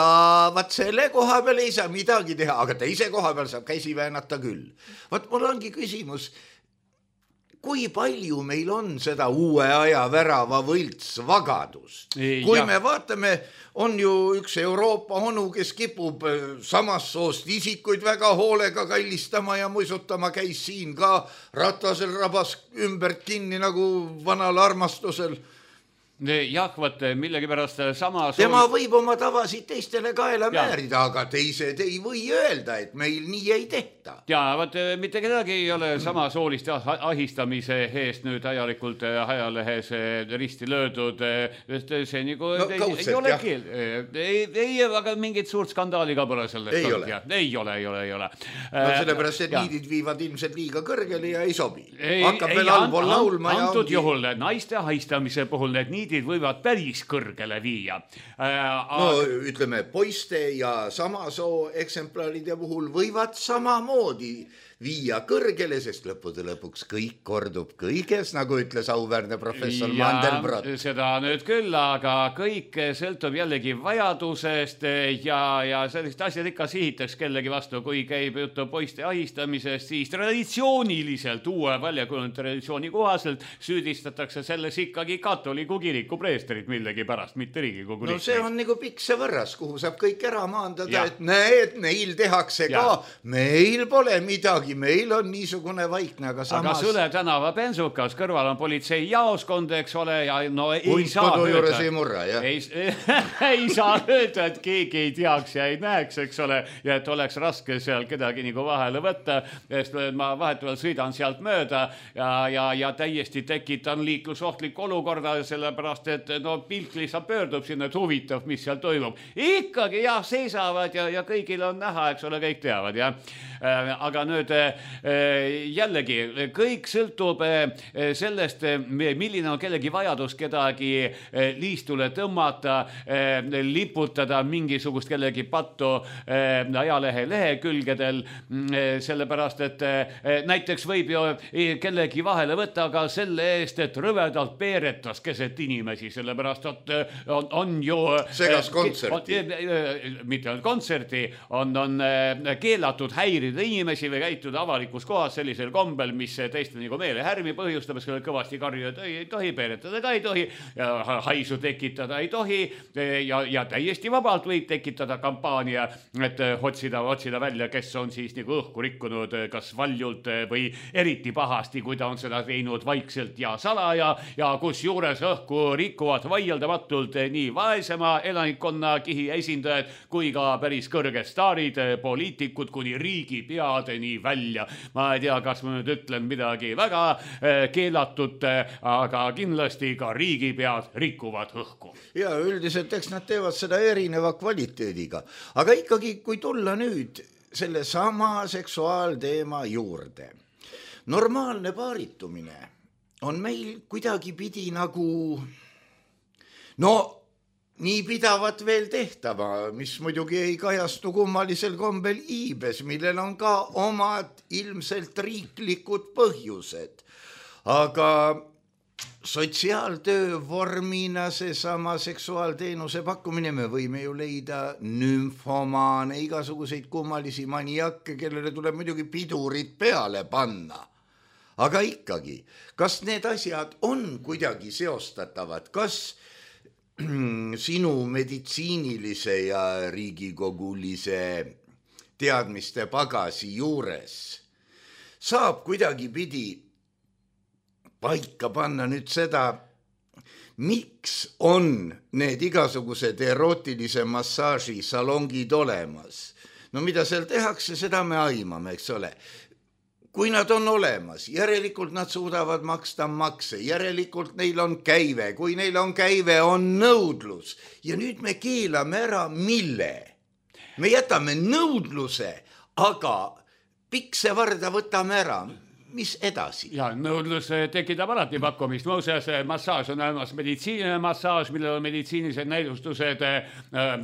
vaat selle koha peal ei saa midagi teha, aga teise koha peal saab käsi väänata küll. Vaat mul ongi küsimus, kui palju meil on seda uue aja värava võltsvagadust? Kui me vaatame, on ju üks Euroopa onu, kes kipub samast soost isikuid väga hoolega kallistama ja muisutama, käis siin ka Ratasel rabas ümbert kinni nagu vanal armastusel. Jah, võt millegi pärast sama tema võib oma tavasid teistele kaela määrida, aga teised ei või öelda, et meil nii ei tehta. Ja võt mitte kedagi ei ole sama soolist ahistamise eest nüüd ajalikult ajalehes risti löödud. See nagu ei ole keel. Ei, aga mingit suurt skandaali ka pole sellest. Ei ole. No sellepärast, et niidid viivad ilmselt liiga kõrgele ja ei sobi. Hakkab veel allpool laulma ja antud juhul naiste ahistamise puhul need niidid võivad päris kõrgele viia. No ütleme, poiste ja sama soo eksemplaalide puhul võivad samamoodi viia kõrgele, sest lõppude lõpuks kõik kordub kõiges, nagu ütles auväärne professor Mandelbrot. Seda nüüd küll, aga kõik sõltub jällegi vajadusest ja sellist asjad ikka sihitaks kellegi vastu, kui käib juttu poiste ahistamisest, siis traditsiooniliselt, uue väljakujunenud traditsiooni kohaselt süüdistatakse selles ikkagi katoliku kiriku preestrit millegi pärast, mitte Riigikogu liikmeid. No see on nagu pikse võrras, kuhu saab kõik ära maandada, et näed, neil tehakse ka, meil pole midagi. Meil on niisugune vaikne, aga samas... Aga Sõle tänava Pensukas, kõrval on politsei jaoskond, eks ole, ja no ei saa kodu juures ei murra, jah? Ei saa öelda, et keegi ei teaks ja ei näeks, eks ole, ja et oleks raske seal kedagi nagu vahele võtta, sest ma vahetavalt sõidan sealt mööda ja täiesti tekitan liiklusohtlik olukorda, sellepärast sellepärast, et no pilt lihtsalt pöördub sinna, et huvitav, mis seal toimub. Ikkagi jah, seisavad ja kõigil on näha, eks ole, kõik teavad, jah. Aga nüüd jällegi, kõik sõltub sellest, milline on kellegi vajadus kedagi liistule tõmmata, liputada mingisugust kellegi pattu ajalehe lehekülgedel, sellepärast, et näiteks võib ju kellegi vahele võtta ka selle eest, et rõvedalt peeretas keset inimesi, sellepärast, et on ju segas kontserti. Mitte ainult kontserti, on keelatud häirida inimesi või käituda avalikus kohas sellisel kombel, mis teiste nagu meelehärmi põhjustab, et kõvasti karjuda ei tohi, peeretada ka ei tohi, haisu tekitada ei tohi ja täiesti vabalt võib tekitada kampaania, et otsida välja, kes on siis nagu õhku rikkunud, kas valjult või eriti pahasti, kui ta on seda teinud vaikselt ja salaja ja kus juures õhku rikuvad vaieldamatult nii vaesema elanikkonna kihi esindajad kui ka päris kõrged staarid, poliitikud kuni riigi peadeni välja. Ma ei tea, kas ma nüüd ütlen midagi väga keelatut, aga kindlasti ka riigipead rikuvad õhku. Ja üldiselt eks nad teevad seda erineva kvaliteediga. Aga ikkagi, kui tulla nüüd selle sama seksuaalteema juurde. Normaalne paaritumine on meil kuidagi pidi nagu nii pidavat veel tehtava, mis muidugi ei kajastu kummalisel kombel iibes, millel on ka omad ilmselt riiklikud põhjused. Aga sotsiaaltöö vormina seesama seksuaalteenuse pakkumine, me võime ju leida nümfomaane, igasuguseid kummalisi maniakke, kellele tuleb muidugi pidurid peale panna. Aga ikkagi, kas need asjad on kuidagi seostatavad, kas sinu meditsiinilise ja riigikogulise teadmiste pagasi juures saab kuidagi pidi paika panna nüüd seda, miks on need igasugused erootilise massaaži salongid olemas. No mida seal tehakse, seda me aimame, eks ole. Kui nad on olemas, järelikult nad suudavad maksta makse, järelikult neil on käive, kui neil on käive, on nõudlus. Ja nüüd me keelame ära mille? Me jätame nõudluse, aga piksevarda võtame ära. Mis edasi? Ja nõudlus tekitab alati pakkumist. Muuseas, massaaž on olemas meditsiiniline massaaž, millel on meditsiinilised näidustused,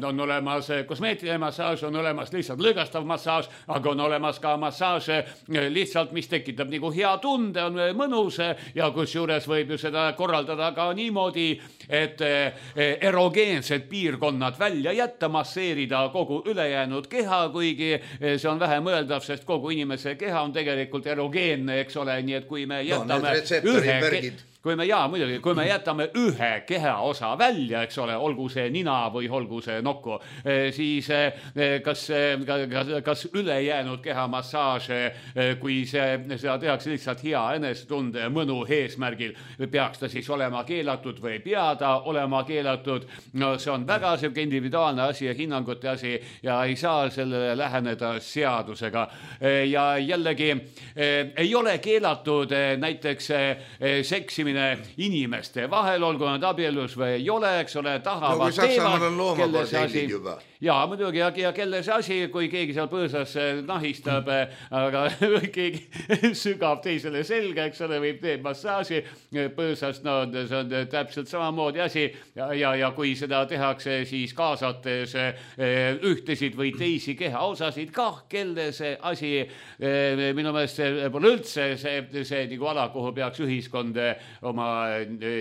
on olemas kosmeetiline massaaž, on olemas lihtsalt lõõgastav massaaž, aga on olemas ka massaaž lihtsalt, mis tekitab nagu hea tunde, on mõnus ja kus juures võib ju seda korraldada ka niimoodi, et erogeensed piirkonnad välja jätta, masseerida kogu ülejäänud keha, kuigi see on vähe mõeldav, sest kogu inimese keha on tegelikult erogeenne, eks ole, nii et kui me jätame kui me jätame ühe kehaosa välja, eks ole, olgu see nina või olgu see nokku, siis kas ülejäänud kehamassaaž, kui seda tehakse lihtsalt hea enesetunde mõnu eesmärgil, peaks ta siis olema keelatud või ei pea ta olema keelatud. No see on väga selline individuaalne asi ja hinnangute asi ja ei saa sellele läheneda seadusega. Ja jällegi ei ole keelatud näiteks seksimine inimeste vahel, olgu nad abielus või ei ole, eks ole, tahavad teevad, kelle see asi. Ja muidugi, ja kelle see asi, kui keegi seal põõsas nahistab, aga keegi sügab teisele selga, eks ole, võib teeb massaaži põõsas, no see on täpselt samamoodi asi ja kui seda tehakse siis kaasates ühtesid või teisi kehaosasid kah, kelle see asi, minu meelest see pole üldse see nagu ala, kuhu peaks ühiskond oma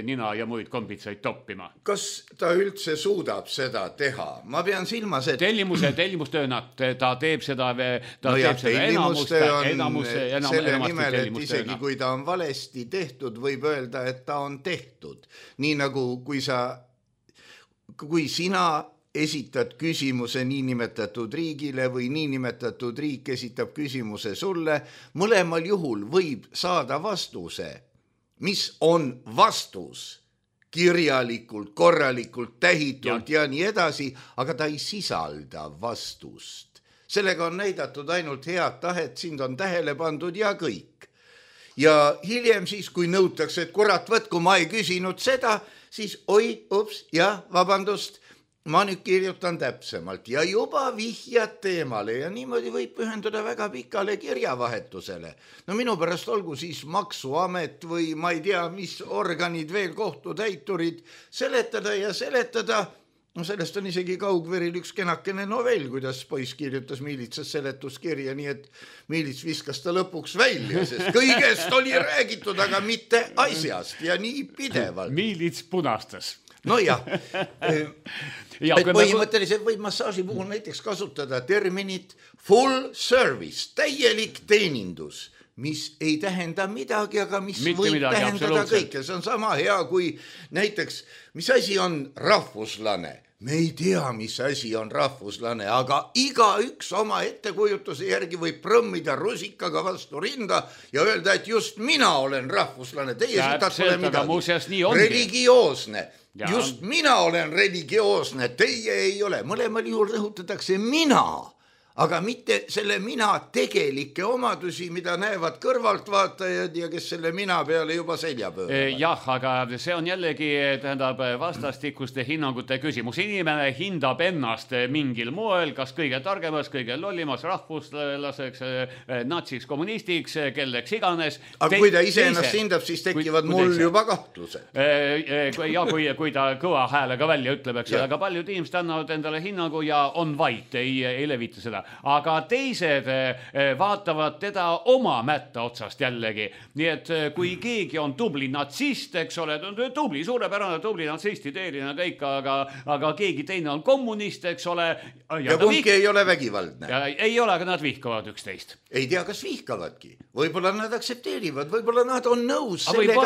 nina ja muid kombitsaid toppima. Kas ta üldse suudab seda teha? Ma pean silma tellimustööna, ta teeb seda selle nimel, et isegi kui ta on valesti tehtud, võib öelda, et ta on tehtud. Nii nagu kui sina esitad küsimuse niinimetatud riigile või niinimetatud riik esitab küsimuse sulle, mõlemal juhul võib saada vastuse, mis on vastus. Kirjalikult, korralikult, tähitult ja nii edasi, aga ta ei sisalda vastust. Sellega on näidatud ainult head tahet, sind on tähele pandud ja kõik. Ja hiljem siis, kui nõutakse, et kurat võtku, ma ei küsinud seda, siis vabandust, ma nüüd kirjutan täpsemalt ja juba vihjad teemale ja niimoodi võib pühenduda väga pikale kirjavahetusele. No minu pärast olgu siis maksuamet või ma ei tea, mis organid veel, kohtutäiturid, seletada ja seletada. No sellest on isegi kaugveril üks kenakene novell, kuidas poiss kirjutas miilitsas seletuskirja, nii et miilits viskas ta lõpuks välja, sest kõigest oli räägitud, aga mitte asjast ja nii pidevalt. Miilits punastas. No jah, et põhimõtteliselt võib massaaži puhul näiteks kasutada terminit full service, täielik teenindus, mis ei tähenda midagi, aga mis võib tähendada kõike. See on sama hea kui näiteks, mis asi on rahvuslane. Me ei tea, mis asi on rahvuslane, aga igaüks oma ettekujutuse järgi võib prõmmida rusikaga vastu rinda ja öelda, et just mina olen rahvuslane. Teie sitat pole midagi. Religioosne. Just mina olen religioosne, teie ei ole. Mõlemal juhul rõhutatakse mina. Aga mitte selle mina tegelikke omadusi, mida näevad kõrvaltvaatajad ja kes selle mina peale juba selja pööravad. Jah, aga see on jällegi vastastikuste hinnangute küsimus. Inimene hindab ennast mingil moel, kas kõige targemas, kõige lollimas, rahvuslaseks, natsiks, kommunistiks, kelleks iganes. Aga kui ta ise ennast hindab, siis tekivad mul juba kahtlused. Ja kui ta kõva häälega välja ütleb, eks, aga paljud inimesed annavad endale hinnangu ja on vait, ei levita seda. Aga teised vaatavad teda oma mätta otsast jällegi. Nii et kui keegi on tubli natsist, eks ole, tubli, suurepärane tubli natsist, ideeline kõik, aga keegi teine on kommunist, eks ole. Ja kumbki ei ole vägivaldne. Ei ole, aga nad vihkavad üksteist. Ei tea, kas vihkavadki. Võib-olla nad aksepteerivad, võib-olla nad on nõus sellega,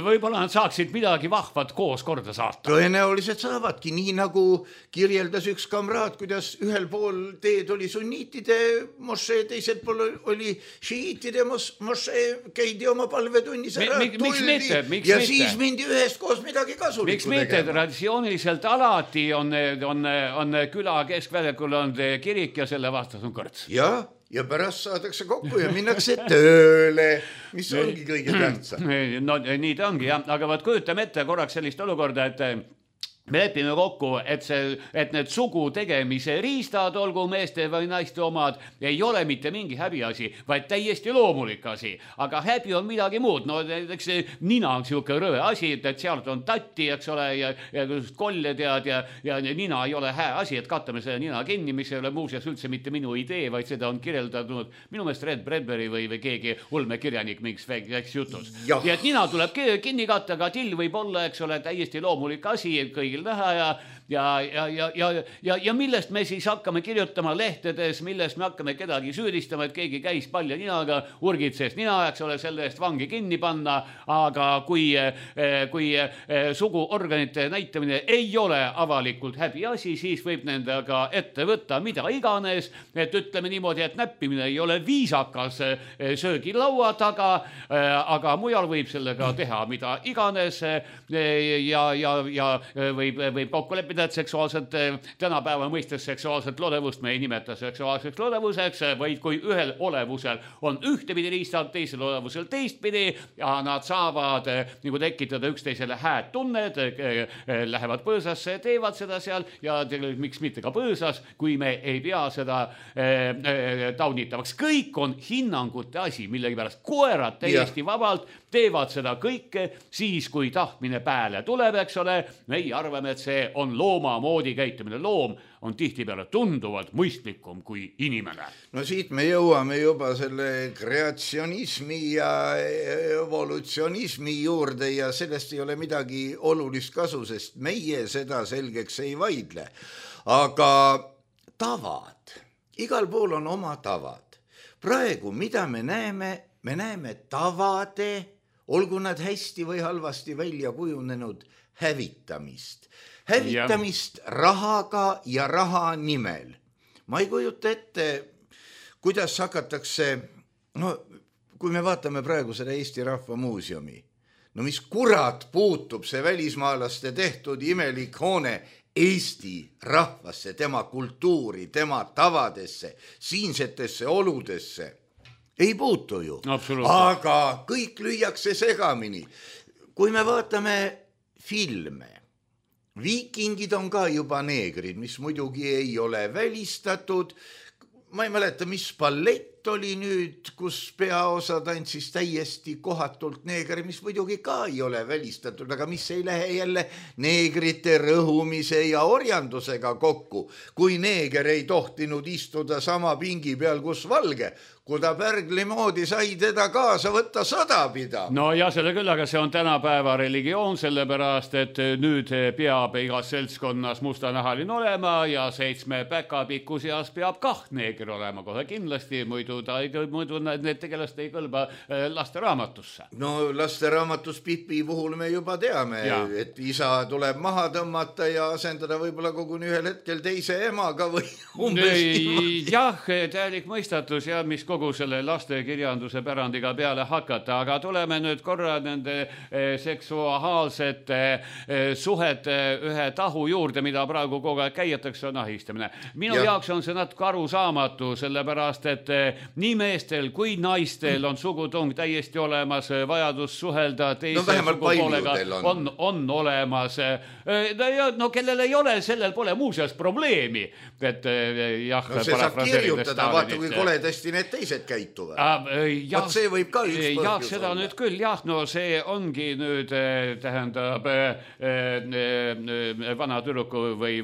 võib-olla nad saaksid midagi vahvat koos korda saata. Tõenäoliselt saavadki, nii nagu kirjeldas üks kamraad, kuidas ühel pool teed oli sunniitide mošee, teisel pool oli šiiitide mošee, käidi oma palvetunnis ära, tuldi ja siis mindi ühest koos midagi kasulikku tegema. Miks mitte? Traditsiooniliselt alati on küla keskväljakul on kirik ja selle vastas on kõrts. Ja pärast saadakse kokku ja minnakse tööle, mis ongi kõige tähtsam. No nii ta ongi, jah. Aga vaat kujutame ette korraks sellist olukorda, et me lepime kokku, et need sugu tegemise riistad, olgu meeste või naiste omad, ei ole mitte mingi häbiasi, vaid täiesti loomulik asi. Aga häbi on midagi muud. No näiteks nina on siuke rõve asi, et sealt on tatti, eks ole, ja kolled ja nina ei ole hää asi, et kattame selle nina kinni, mis ei ole muuseas üldse mitte minu idee, vaid seda on kirjeldatud minu meelest Red Bradbury või keegi ulmekirjanik mingis väikses jutus. Ja et nina tuleb kinni katta, aga till võib olla, eks ole, täiesti loomulik asi, kõigil näha ja millest me siis hakkame kirjutama lehtedes, millest me hakkame kedagi süüdistama, et keegi käis palja ninaga, urgitses nina, eks ole, selle eest vangi kinni panna, aga kui suguorganite näitamine ei ole avalikult häbiasi, siis võib nendega ette võtta mida iganes, et ütleme niimoodi, et näppimine ei ole viisakas söögilaua taga, aga mujal võib sellega teha mida iganes ja võib kokku leppida, et seksuaalselt, tänapäeva mõistes seksuaalset lodevust me ei nimeta seksuaalseks lodevuseks, vaid kui ühel olevusel on ühtepidi riistad, teisel olevusel teistpidi ja nad saavad nagu tekitada üksteisele hääd tunned, lähevad põõsasse, teevad seda seal ja miks mitte ka põõsas, kui me ei pea seda taunitavaks. Kõik on hinnangute asi, millegipärast koerad täiesti vabalt teevad seda kõike siis, kui tahtmine pääle tuleb, eks ole, meie arvame, et see on looma moodi käitumine. Loom on tihtipeale tunduvalt mõistlikum kui inimene. No siit me jõuame juba selle kreatsionismi ja evolutsionismi juurde ja sellest ei ole midagi olulist kasu, sest meie seda selgeks ei vaidle. Aga tavad, igal pool on oma tavad. Praegu, mida me näeme tavade, olgu nad hästi või halvasti välja kujunenud, hävitamist rahaga ja raha nimel. Ma ei kujuta ette, kuidas hakatakse, no kui me vaatame praegu seda Eesti Rahva Muuseumi, no mis kurat puutub see välismaalaste tehtud imelik hoone Eesti rahvasse, tema kultuuri, tema tavadesse, siinsetesse oludesse. Ei puutu ju, aga kõik lüüakse segamini. Kui me vaatame filme. Viikingid on ka juba neegrid, mis muidugi ei ole välistatud. Ma ei mäleta, mis ballett oli nüüd, kus peaosa tantsis täiesti kohatult neegri, mis muidugi ka ei ole välistatud, aga mis ei lähe jälle neegrite rõhumise ja orjandusega kokku, kui neeger ei tohtinud istuda sama pingi peal, kus valge. Kui ta Pärgli moodi sai teda kaasa võtta sõda pidama. No ja selle küll, aga see on tänapäeva religioon, sellepärast, et nüüd peab igas seltskonnas mustanahaline olema ja 7 päkapiku seas peab 2 neeger olema kohe kindlasti, muidu need tegelast ei kõlba lasteraamatusse. No lasteraamatus Pipi puhul me juba teame, et isa tuleb maha tõmmata ja asendada võib-olla koguni ühel hetkel teise emaga või umbes. Jah, täielik mõistatus ja mis kogu selle lastekirjanduse pärandiga peale hakata, aga tuleme nüüd korra nende seksuaalsete suhete ühe tahu juurde, mida praegu kogu aeg käijatakse, on ahistamine. Minu jaoks on see natuke arusaamatu, sellepärast, et nii meestel kui naistel on sugutung täiesti olemas, vajadus suhelda teise sugupoolega on olemas. No kellel ei ole, sellel pole muuseas probleemi. Et jah, no see saab kirjutada, vaata kui koledasti need teised käituvad. Vaat see võib ka üks põhjus olla. Seda nüüd küll, no see ongi nüüd, tähendab, vana tüdruku või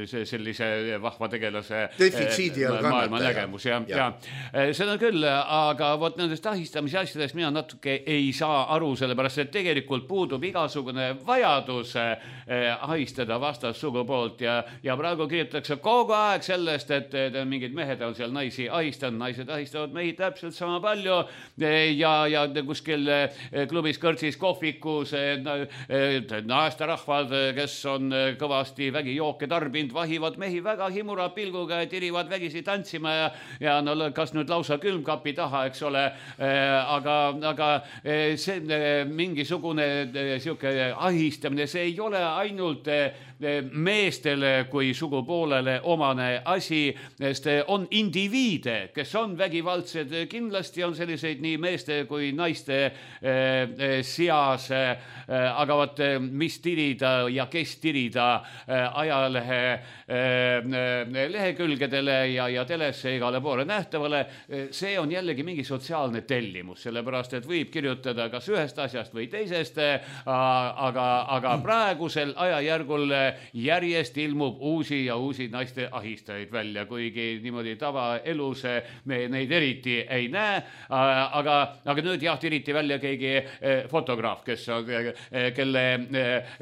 sellise vahva tegelase maailma nägemus. Seda küll, aga vot nendest ahistamise asjadest mina natuke ei saa aru, sellepärast, et tegelikult puudub igasugune vajadus ahistada vastassugu poolt ja praegu kirjutatakse kogu aeg sellest, et mingid mehed on seal naisi ahistanud, naised ahistavad mehi täpselt sama palju ja kuskil klubis, kõrtsis, kohvikus naisterahvad, kes on kõvasti vägijooke tarbinud, vahivad mehi väga himura pilguga ja tirivad vägisi tantsima ja no kas nüüd lausa külmkapi taha, eks ole, aga see mingisugune siuke ahistamine, see ei ole ainult meestele kui sugupoolele omane asi, sest on indiviide, kes on vägivaldsed, kindlasti on selliseid nii meeste kui naiste seas, aga vaat mis tirida ja kes tirida ajalehe lehekülgedele ja telesse igale poole nähtavale, see on jällegi mingi sotsiaalne tellimus, sellepärast, et võib kirjutada kas ühest asjast või teisest, aga praegusel ajajärgul järjest ilmub uusi ja uusi naiste ahistajaid välja, kuigi niimoodi tavaelus me neid eriti ei näe, aga nüüd tiriti välja keegi fotograaf, kelle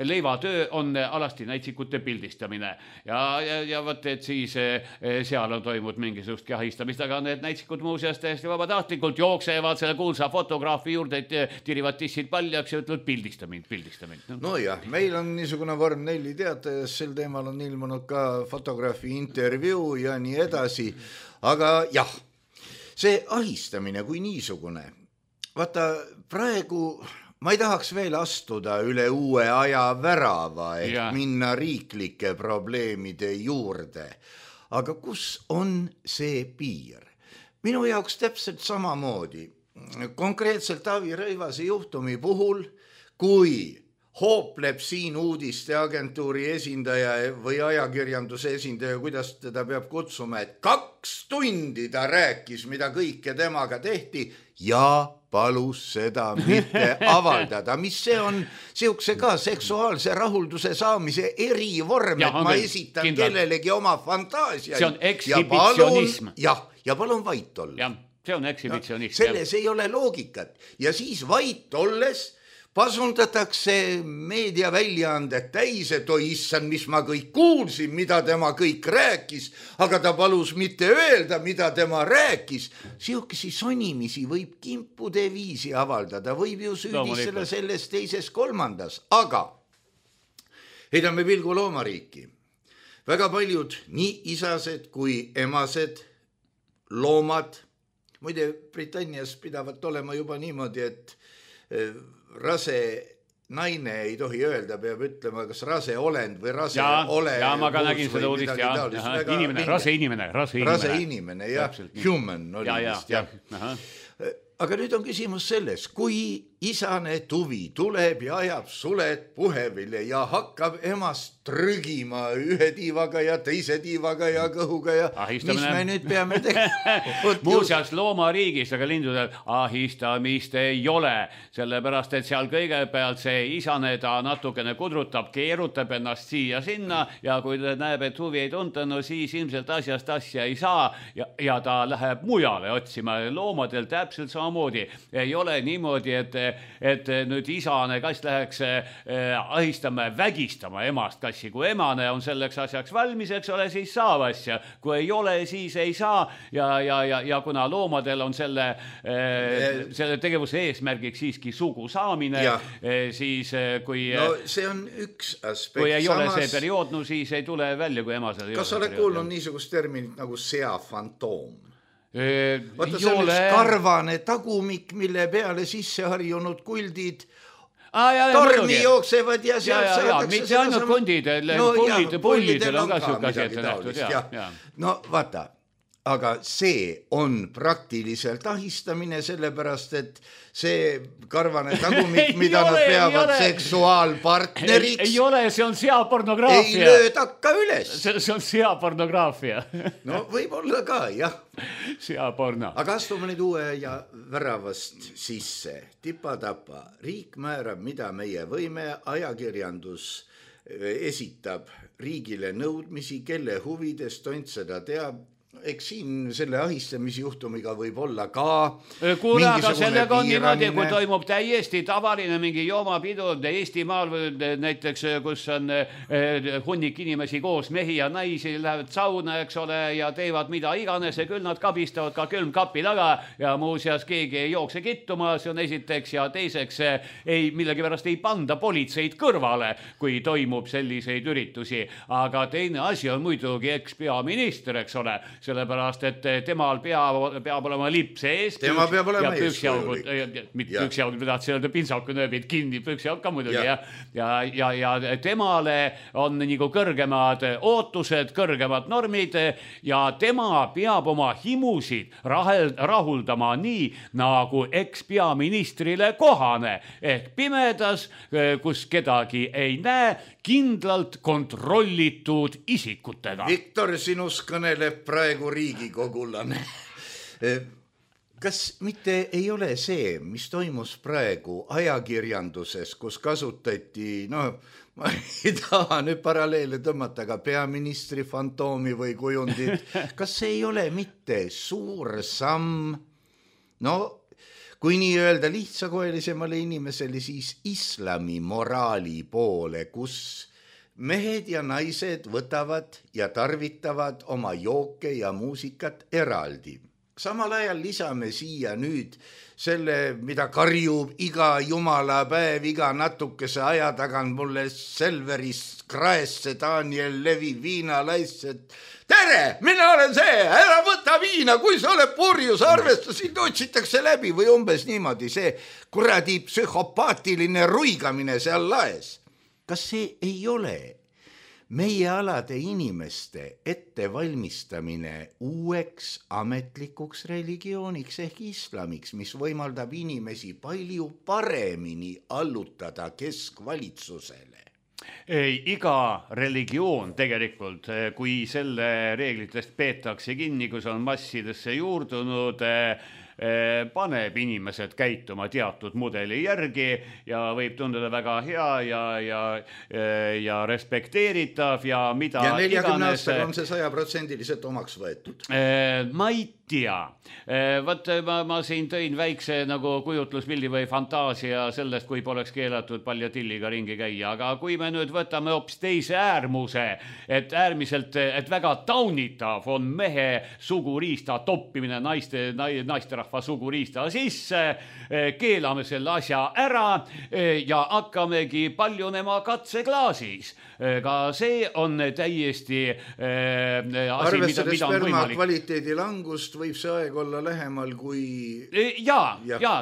leivatöö on alasti näitsikute pildistamine ja võt, et siis seal on toimunud mingisugustki ahistamist, aga need näitsikud muuseas täiesti vabatahtlikult jooksevad selle kuulsa fotograafi juurde, et tirivad tissid paljaks ja ütlevad pildistamine. No jah, meil on niisugune vorm 4 teatajas, sel teemal on ilmunud ka fotograafi intervjuu ja nii edasi, aga jah, see ahistamine kui niisugune, vaata praegu ma ei tahaks veel astuda üle uue aja värava, minna riiklike probleemide juurde, aga kus on see piir? Minu jaoks täpselt samamoodi, konkreetselt Taavi Rõivase juhtumi puhul, kui hoopleb siin uudisteagentuuri esindaja või ajakirjanduse esindaja, kuidas teda peab kutsuma, et 2 tundi ta rääkis, mida kõike temaga tehti ja palus seda mitte avaldada, mis see on siukse ka seksuaalse rahulduse saamise erivorm, et ma esitan kellelegi oma fantaasiaid. See on ekshibitsionism. Ja palun vait olla. See on ekshibitsionism. Selles ei ole loogikat ja siis vait olles pasundatakse meediaväljaanded täis, et oi issand, mis ma kõik kuulsin, mida tema kõik rääkis, aga ta palus mitte öelda, mida tema rääkis. Siukesi sonimisi võib kimpude viisi avaldada, võib ju süüdistada selles teises kolmandas, aga heidame pilgu loomariiki. Väga paljud nii isased kui emased loomad, muide Britannias pidavat olema juba niimoodi, et rase naine ei tohi öelda, peab ütlema, kas rase olend või rase ole. Ja ma ka nägin seda uudist, rase inimene, jah, human oli vist, jah. Aga nüüd on küsimus selles, kui isane tuvi tuleb ja ajab suled puhevile ja hakkab emast trügima ühe tiivaga ja teise tiivaga ja kõhuga ja ahistamine. Mis me nüüd peame tegema? Muuseas loomariigis, aga lindudel ahistamist ei ole, sellepärast, et seal kõigepealt see isane ta natukene kudrutab, keerutab ennast siia-sinna ja kui ta näeb, et huvi ei tunta, no siis ilmselt asjast asja ei saa ja ta läheb mujale otsima. Loomadel täpselt samamoodi. Ei ole niimoodi, et nüüd isane kass läheks ahistama, vägistama emast kassi. Kui emane on selleks asjaks valmis, eks ole, siis saab asja. Kui ei ole, siis ei saa ja kuna loomadel on selle tegevuse eesmärgiks siiski sugu saamine, siis kui no see on üks aspekt. Kui ei ole see periood, no siis ei tule välja, kui emasel ei ole. Kas oled kuulnud niisugust terminit nagu seafantoom? Vaata see on üks karvane tagumik, mille peale sisse harjunud kuldid tormi jooksevad ja sealt saadakse mitte ainult pullidel on ka siuke asi ette nähtud. No vaata, aga see on praktiliselt ahistamine, sellepärast, et see karvane tagumik, mida nad peavad seksuaalpartneriks. Ei ole, see on seapornograafia. Ei lööda ka üles. See on seapornograafia. No võib-olla ka, jah. Seaporno. Aga astume nüüd uue ja väravast sisse. Tipa-tapa. Riik määrab, mida meie võime, ajakirjandus esitab riigile nõudmisi, kelle huvides tont seda teab. Eks siin selle ahistamisjuhtumiga võib olla ka kuule, aga sellega on niimoodi, kui toimub täiesti tavaline mingi joomapidu Eestimaal näiteks, kus on hunnik inimesi koos, mehi ja naisi, lähevad sauna, eks ole, ja teevad mida iganes ja küll nad kabistavad ka külmkapi taga ja muuseas keegi ei jookse kittuma, see on esiteks ja teiseks millegipärast ei panda politseid kõrvale, kui toimub selliseid üritusi, aga teine asi on muidugi ekspeaminister, eks ole, sellepärast, et temal peab olema lipp sees. Tema peab olema eeskujulik. Mitte püksiaugud, mida tahtsin öelda, pintsaku nööbid kinni, püksiaug ka muidugi. Ja temale on nagu kõrgemad ootused, kõrgemad normid ja tema peab oma himusid rahuldama nii, nagu ekspeaministrile kohane. Ehk pimedas, kus kedagi ei näe, kindlalt kontrollitud isikutega. Viktor, sinus kõneleb praegu riigikogulane. Kas mitte ei ole see, mis toimus praegu ajakirjanduses, kus kasutati, ma ei taha nüüd paralleele tõmmata, aga peaministri fantoomi või kujundit, kas see ei ole mitte suur samm, kui nii öelda lihtsakoelisemale inimesele, siis islami moraali poole, kus mehed ja naised võtavad ja tarvitavad oma jooke ja muusikat eraldi. Samal ajal lisame siia nüüd selle, mida karjub iga jumala päev, iga natukese aja tagant mulle Selverist kraesse Daniel Levi viinalaised. Tere, mina olen see, ära võta viina, kui sa oled purjus, arvesta, sind otsitakse läbi või umbes niimoodi see kuradi psühhopaatiline ruigamine seal laes. Kas see ei ole meie alade inimeste ettevalmistamine uueks ametlikuks religiooniks ehk islamiks, mis võimaldab inimesi palju paremini allutada keskvalitsusele? Iga religioon tegelikult, kui selle reeglitest peetakse kinni, kus on massidesse juurdunud, paneb inimesed käituma teatud mudeli järgi ja võib tunduda väga hea ja respekteeritav ja mida ja 40 aastaga on see 100% omaks võetud. Ma ei tea. Võt, ma siin tõin väikse nagu kujutluspildi või fantaasia sellest, kui poleks keelatud paljatilliga ringi käia, aga kui me nüüd võtame hoopis teise äärmuse, et väga taunitav on mehe suguriista toppimine naisterahva suguriista sisse, keelame selle asja ära ja hakkamegi paljunema katseklaasis. Ka see on täiesti asi, arvestades sperma kvaliteedi langust võib see aeg olla lähemal kui... Ja,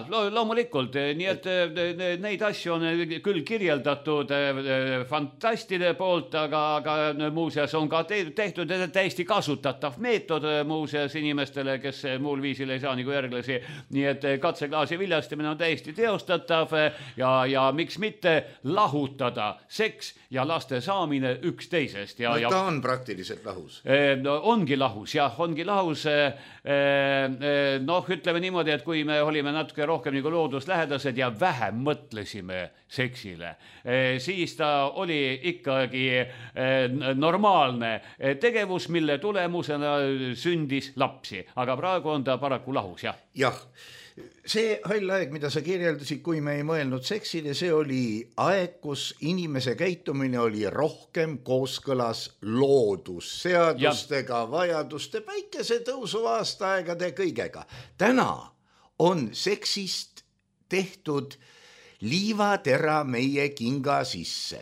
loomulikult. Nii et neid asju on küll kirjeldatud fantastide poolt, aga muuseas on ka tehtud täiesti kasutatav meetod muuseas inimestele, kes muul viisil ei saa nagu järgi aeglasi, nii et katseklaasi viljastamine on täiesti teostatav ja miks mitte lahutada seks ja laste saamine üksteisest. Ta on praktiliselt lahus. No, ongi lahus, jah, ongi lahus. Ütleme niimoodi, et kui me olime natuke rohkem nagu looduslähedased ja vähem mõtlesime seksile, siis ta oli ikkagi normaalne tegevus, mille tulemusena sündis lapsi, aga praegu on ta paraku lahus, jah. Jah, see hall aeg, mida sa kirjeldasid, kui me ei mõelnud seksile, see oli aeg, kus inimese käitumine oli rohkem kooskõlas loodusseadustega, vajaduste, päikesetõusu aastaaegade kõigega. Täna on seksist tehtud liivatera meie kinga sisse.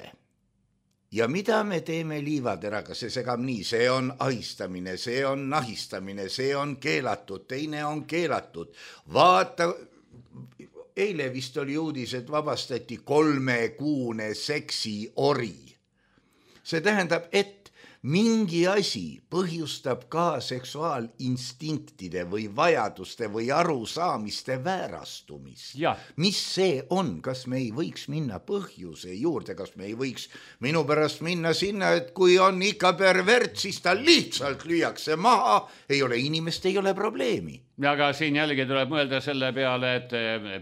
Ja mida me teeme liivateraga? See segab nii, see on ahistamine, see on nahistamine, see on keelatud, teine on keelatud. Vaata, eile vist oli uudis, et vabastati 3-kuune seksiori. See tähendab, et mingi asi põhjustab ka seksuaalinstinktide või vajaduste või arusaamiste väärastumist. Mis see on? Kas me ei võiks minna põhjuse juurde? Kas me ei võiks minu pärast minna sinna, et kui on ikka pervert, siis ta lihtsalt lüüakse maha, ei ole inimest, ei ole probleemi. Aga siin jällegi tuleb mõelda selle peale, et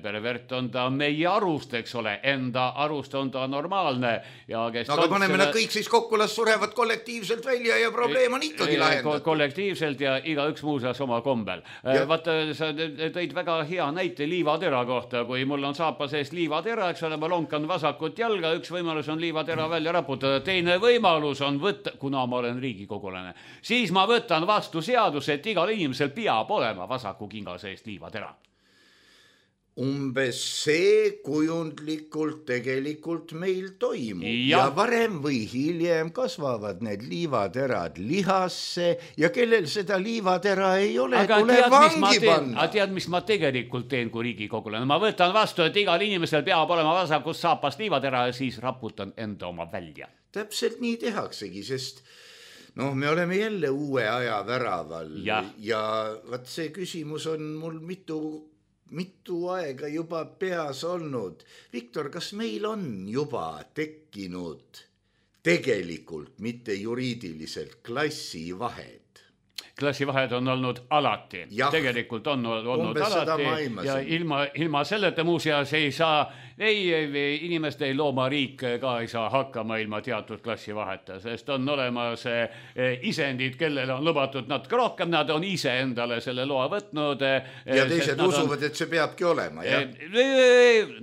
pervert on ta meie arust, eks ole, enda arust on ta normaalne. Aga paneme nad kõik siis kokku, las surevad kollektiivselt välja ja probleem on ikkagi lahendatud. Kollektiivselt ja igaüks muuseas oma kombel. Vaata, sa tõid väga hea näite liivatera kohta, kui mul on saapa sees liivatera, eks ole, ma lonkan vasakut jalga, üks võimalus on liivatera välja raputada, teine võimalus on võtta, kuna ma olen riigikogulane, siis ma võtan vastu seaduse, et igal inimesel peab olema vasaku kinga seest liivatera. Umbes see kujundlikult tegelikult meil toimub ja varem või hiljem kasvavad need liivaterad lihasse ja kellel seda liivatera ei ole, tuleb vangi panna. Aga tead, mis ma tegelikult teen kui riigikogulane? Ma võtan vastu, et igal inimesel peab olema vasakust saapast liivatera ja siis raputan enda oma välja. Täpselt nii tehaksegi, sest me oleme jälle uue aja väraval ja vaat see küsimus on mul mitu aega juba peas olnud. Viktor, kas meil on juba tekkinud tegelikult, mitte juriidiliselt, klassivahed? Klassivahed on olnud alati. Tegelikult on olnud alati ja ilma selleta muuseas ei saa inimeste ei loomariik ka ei saa hakkama ilma teatud klassivaheta, sest on olemas isendid, kellele on lubatud natuke rohkem, nad on ise endale selle loa võtnud. Ja teised usuvad, et see peabki olema, jah?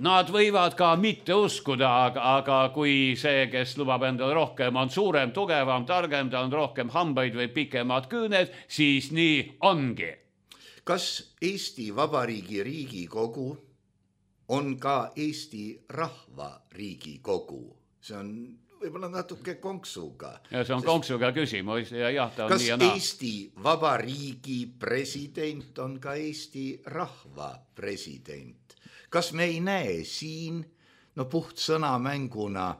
Nad võivad ka mitte uskuda, aga kui see, kes lubab endale rohkem, on suurem, tugevam, targem, ta on rohkem hambaid või pikemad küüned, siis nii ongi. Kas Eesti Vabariigi Riigikogu on ka Eesti Rahva Riigikogu? See on võib-olla natuke konksuga. Ja see on konksuga küsimus ja jah, ta on kas nii ja naa. Eesti Vabariigi president on ka Eesti Rahva president? Kas me ei näe siin, puht sõnamänguna,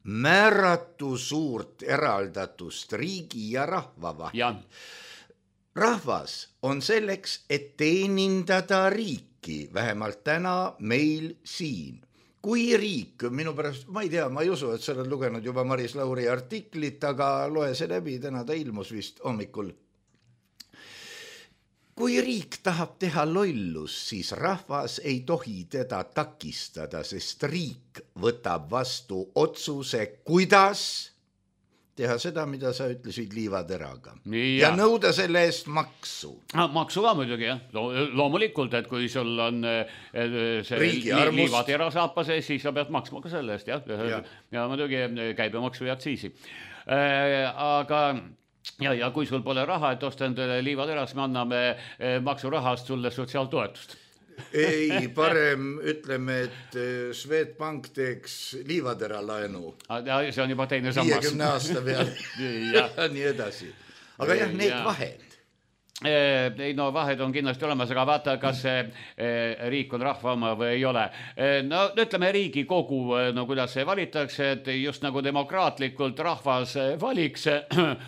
määratu suurt eraldatust riigi ja rahva vahel? Rahvas on selleks, et teenindada riiki, vähemalt täna meil siin. Kui riik, minu pärast, ma ei tea, ma ei usu, et sa oled lugenud juba Maris Lauri artiklit, aga loe see läbi, täna ta ilmus vist hommikul. Kui riik tahab teha lollus, siis rahvas ei tohi teda takistada, sest riik võtab vastu otsuse, kuidas teha seda, mida sa ütlesid liivateraga. Ja nõuda selle eest maksu. Maksu ka muidugi, jah. Loomulikult, et kui sul on see liivatera saapa sees, siis sa pead maksma ka selle eest, jah. Ja muidugi käibemaksu ja aktsiisi. Aga ja kui sul pole raha, et osta endale liivateras, me anname maksurahast sulle sotsiaaltoetust. Ei, parem ütleme, et Swedbank teeks liivatera laenu. See on juba teine sammas. 50 aasta peale ja nii edasi. Aga jah, need vahed. ei no vahed on kindlasti olemas, aga vaata, kas riik on rahva oma või ei ole. No ütleme Riigikogu, no kuidas see valitakse, et just nagu demokraatlikult rahvas valiks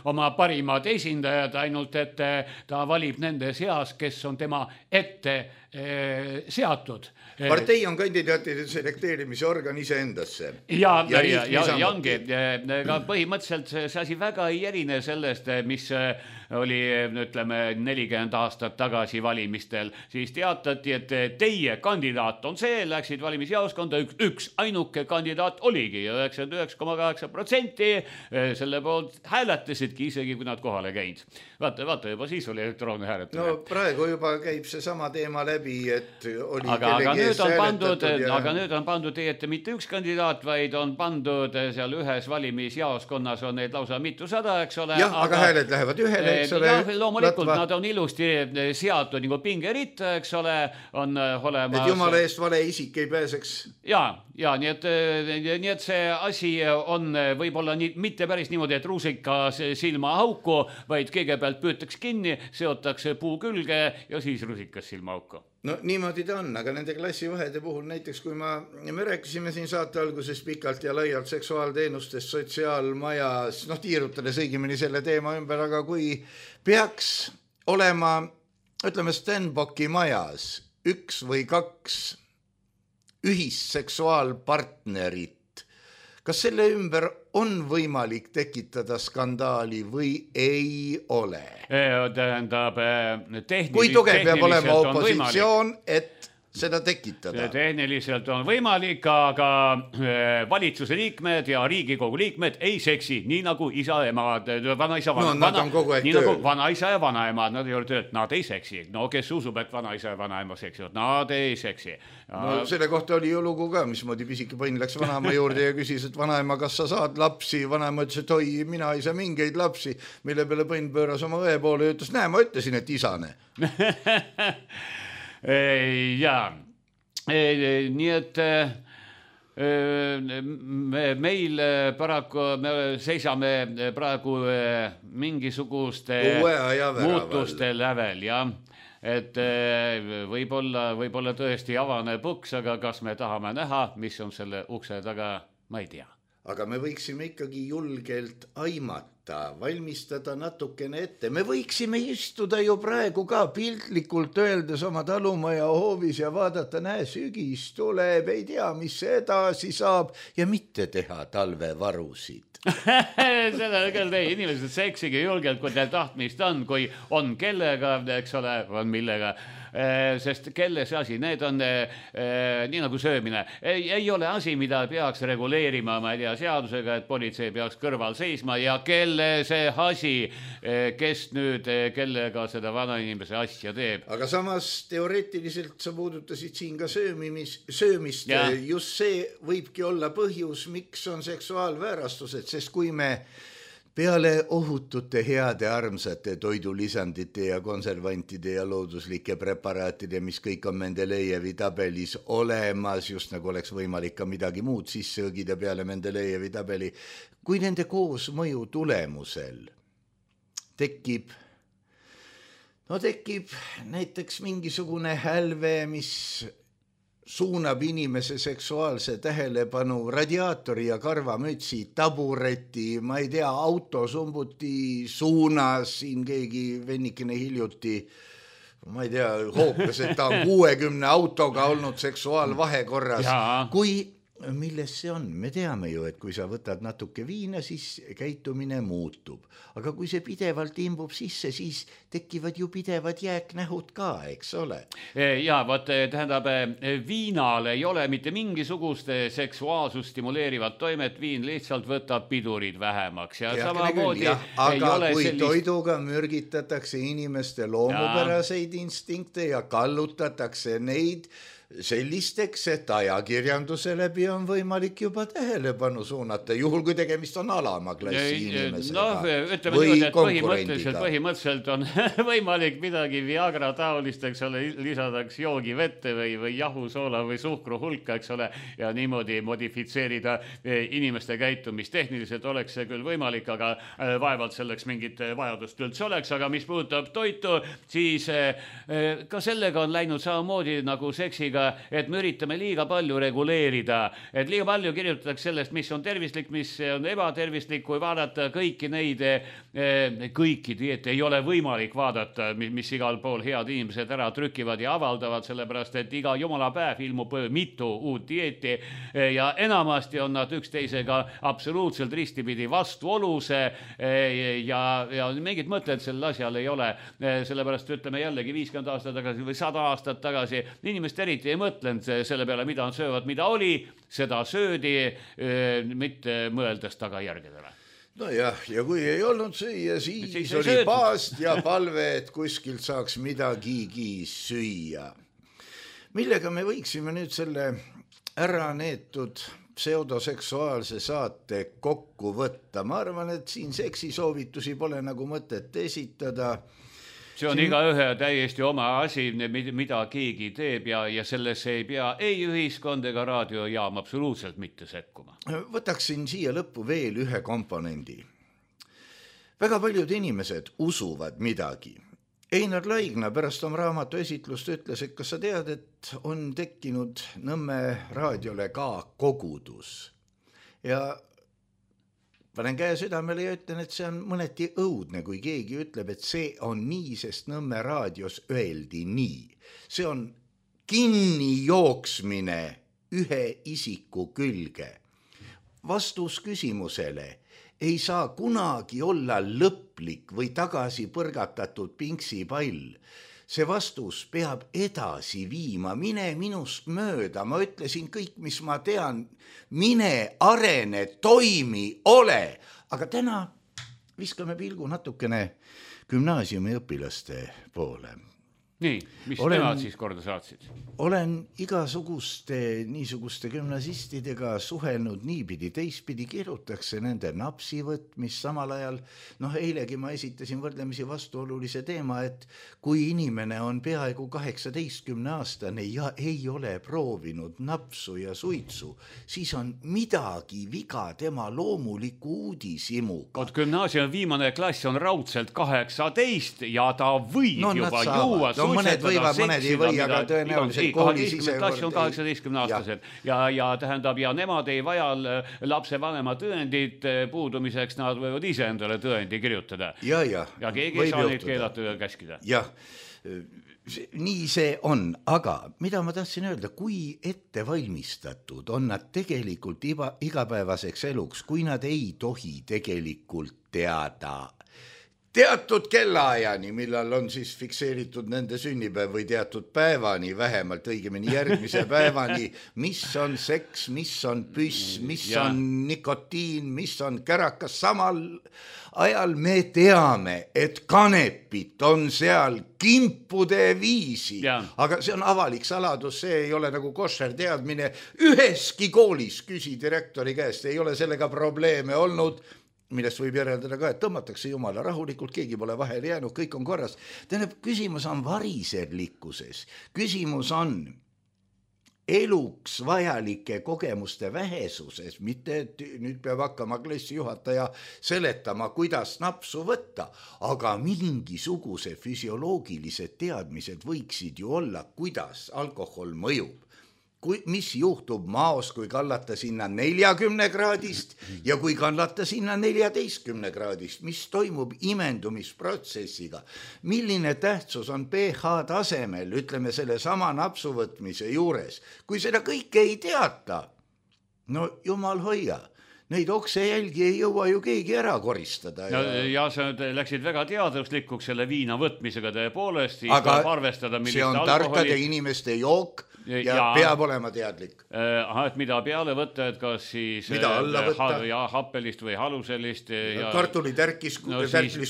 oma parimad esindajad, ainult et ta valib nende seas, kes on tema ette seatud. Partei on kandidaatide selekteerimise organ iseendasse. Ja ongi, aga põhimõtteliselt see asi väga ei erine sellest, mis oli, ütleme, 40 aastat tagasi valimistel, siis teatati, et teie kandidaat on see, läksid valimisjaoskonda, üks ainuke kandidaat oligi ja 99,8% selle poolt hääletasidki, isegi kui nad kohale käinud. Vaata, juba siis oli elektroonne hääletamine. No praegu juba käib see sama teema läbi, et oli aga nüüd on pandud teie ette mitte üks kandidaat, vaid on pandud seal ühes valimisjaoskonnas on neid lausa mitusada, eks ole. Jah, aga hääled lähevad ühele, eks ole. Loomulikult nad on ilusti seatud nagu pingeritta, eks ole, on olemas. Et jumala eest vale isik ei pääseks. Ja nii et see asi on võib-olla mitte päris niimoodi, et rusikas silma auku, vaid kõigepealt püütakse kinni, seotakse puu külge ja siis rusikas silma auku. No niimoodi ta on, aga nende klassivahede puhul näiteks, kui me rääkisime siin saate alguses pikalt ja laialt seksuaalteenustest sotsiaalmajas, tiirutades õigemini selle teema ümber, aga kui peaks olema, ütleme, Stenbocki majas üks või kaks ühisseksuaalpartnerit, kas selle ümber on võimalik tekitada skandaali või ei ole? Tähendab, kui tugev peab olema opositsioon, et seda tekitada? Tehniliselt on võimalik, aga valitsuse liikmed ja Riigikogu liikmed ei seksi, nii nagu isa ja emad, vanaisa ja vanaemad, nad ei ole tööd, nad ei seksi. No kes usub, et vanaisa ja vanaema seksivad, nad ei seksi. No selle kohta oli ju lugu ka, mismoodi pisike põnn läks vanaema juurde ja küsis, et vanaema, kas sa saad lapsi? Vanaema ütles, et oi, mina ei saa mingeid lapsi, mille peale põnn pööras oma õe poole ja ütles, näe, ma ütlesin, et isane. Jaa, nii et meil paraku, me seisame praegu mingisuguste muutuste lävel, jah. Et võib-olla tõesti avane põks, aga kas me tahame näha, mis on selle ukse taga, ma ei tea. Aga me võiksime ikkagi julgelt aimata, valmistada natukene ette. Me võiksime istuda ju praegu ka piltlikult öeldes oma talumaja hoovis ja vaadata, näe, sügis tuleb, ei tea, mis edasi saab ja mitte teha talvevarusid. Seda küll teie inimesed seksige julgelt, kui teil tahtmist on, kui on kellega, eks ole, on millega. Sest kelle see asi, need on nii nagu söömine. Ei ole asi, mida peaks reguleerima, ma ei tea, seadusega, et politsei peaks kõrval seisma ja kelle see asi, kes nüüd kellega seda vanainimese asja teeb. Aga samas teoreetiliselt sa puudutasid siin ka söömist. Just see võibki olla põhjus, miks on seksuaalväärastused, sest kui me peale ohutute heade armsate toidulisandite ja konservantide ja looduslike preparaatide, mis kõik on Mendelejevi tabelis olemas, just nagu oleks võimalik ka midagi muud sisse õgida peale Mendelejevi tabeli, kui nende koosmõju tulemusel tekib näiteks mingisugune hälve, mis suunab inimese seksuaalse tähelepanu radiaatori ja karvamütsi, tabureti, ma ei tea, autosumbuti suunas, siin keegi vennikene hiljuti, ma ei tea, hoopes, et ta on 60 autoga olnud seksuaalvahekorras. Kui milles see on? Me teame ju, et kui sa võtad natuke viina, siis käitumine muutub. Aga kui see pidevalt imbub sisse, siis tekivad ju pidevad jääknähud ka, eks ole? Ja, tähendab, viinal ei ole mitte mingisugust seksuaalsust stimuleerivat toimet, viin lihtsalt võtab pidurid vähemaks. Aga kui toiduga mürgitatakse inimeste loomupäraseid instinkte ja kallutatakse neid sellisteks, et ajakirjanduse läbi on võimalik juba tähelepanu suunata, juhul kui tegemist on alama klassi inimesega või konkurendiga. Põhimõtteliselt on võimalik midagi Viagra taolisteks lisadaks joogi vette või jahusoola või suhkru hulka, eks ole, ja niimoodi modifitseerida inimeste käitumist. Tehniliselt oleks see küll võimalik, aga vaevalt selleks mingit vajadust üldse oleks, aga mis puudutab toitu, siis ka sellega on läinud samamoodi nagu seksiga, et me üritame liiga palju reguleerida, et liiga palju kirjutatakse sellest, mis on tervislik, mis on ebatervislik, kui vaadata kõiki neid, kõiki dieete ei ole võimalik vaadata, mis igal pool head inimesed ära trükivad ja avaldavad, sellepärast, et iga jumala päev ilmub mitu uut dieeti ja enamasti on nad üksteisega absoluutselt ristipidi vastuolus ja mingit mõtted sel asjal ei ole, sellepärast ütleme jällegi 50 aastat tagasi või 100 aastat tagasi, inimest eriti ei mõtlenud selle peale, mida on söövad, mida oli, seda söödi, mitte mõeldes tagajärgedele. Nojah, ja kui ei olnud süüa, siis oli paast ja palve, et kuskilt saaks midagigi süüa. Millega me võiksime nüüd selle ära neetud pseudoseksuaalse saate kokku võtta? Ma arvan, et siin seksisoovitusi pole nagu mõtet esitada. See on igaühe täiesti oma asi, mida keegi teeb ja sellesse ei pea ei ühiskond ega raadiojaam absoluutselt mitte sekkuma. Võtaksin siia lõppu veel ühe komponendi. Väga paljud inimesed usuvad midagi. Einar Laigna pärast oma raamatu esitlust ütles, et kas sa tead, et on tekkinud Nõmme raadiole ka kogudus. Ja panen käe südamele ja ütlen, et see on mõneti õudne, kui keegi ütleb, et see on nii, sest Nõmme raadios öeldi nii. See on kinni jooksmine ühe isiku külge. Vastus küsimusele ei saa kunagi olla lõplik või tagasi põrgatatud pinksipall. See vastus peab edasi viima, mine minust mööda, ma ütlesin kõik, mis ma tean, mine, arene, toimi, ole. Aga täna viskame pilgu natukene gümnaasiumi õpilaste poole. Nii, mis nemad siis korda saatsid? Olen niisuguste gümnasistidega suhelnud niipidi, teistpidi kirjutakse nende napsivõtt, mis samal ajal, eilegi ma esitasin võrdlemisi vastuolulise teema, et kui inimene on peaaegu 18-aastane ja ei ole proovinud napsu ja suitsu, siis on midagi viga tema loomuliku uudisimuga. Gümnaasiumi viimane klass on raudselt 18 ja ta võib juba juua mõned võivad, mõned ei või, aga tõenäoliselt koolis ise... Klass on 18-aastased ja tähendab, ja nemad ei vaja lapse vanema tõendid puudumiseks, nad võivad ise endale tõendi kirjutada. Ja keegi ei saa neid keelata ja käskida. Jah, nii see on, aga mida ma tahtsin öelda, kui ettevalmistatud on nad tegelikult igapäevaseks eluks, kui nad ei tohi tegelikult teada teatud kellaajani, millal on siis fikseeritud nende sünnipäev või teatud päevani, vähemalt õigemini järgmise päevani, mis on seks, mis on püss, mis on nikotiin, mis on kärakas. Samal ajal me teame, et kanepit on seal kimpude viisi, aga see on avalik saladus, see ei ole nagu košer teadmine. Üheski koolis küsi direktori käest, ei ole sellega probleeme olnud, millest võib järeldada ka, et tõmmatakse jumala rahulikult, keegi pole vahele jäänud, kõik on korras. Tähendab, küsimus on variserlikkuses, küsimus on eluks vajalike kogemuste vähesuses, mitte et nüüd peab hakkama klassijuhataja seletama, kuidas napsu võtta, aga mingisuguse füsioloogilised teadmised võiksid ju olla, kuidas alkohol mõjub. Mis juhtub maos, kui kallata sinna 40 kraadist ja kui kallata sinna 14 kraadist, mis toimub imendumisprotsessiga, milline tähtsus on pH tasemel, ütleme selle sama napsuvõtmise juures, kui seda kõike ei teata, no jumal hoia. Neid oksejälgi ei jõua ju keegi ära koristada. Ja sa läksid väga teaduslikuks selle viina võtmisega tõepoolest, siis aga arvestada, see on tarkade inimeste jook, ja peab olema teadlik. Et mida peale võtta, et kas siis happelist või haluselist. Kartulitärkis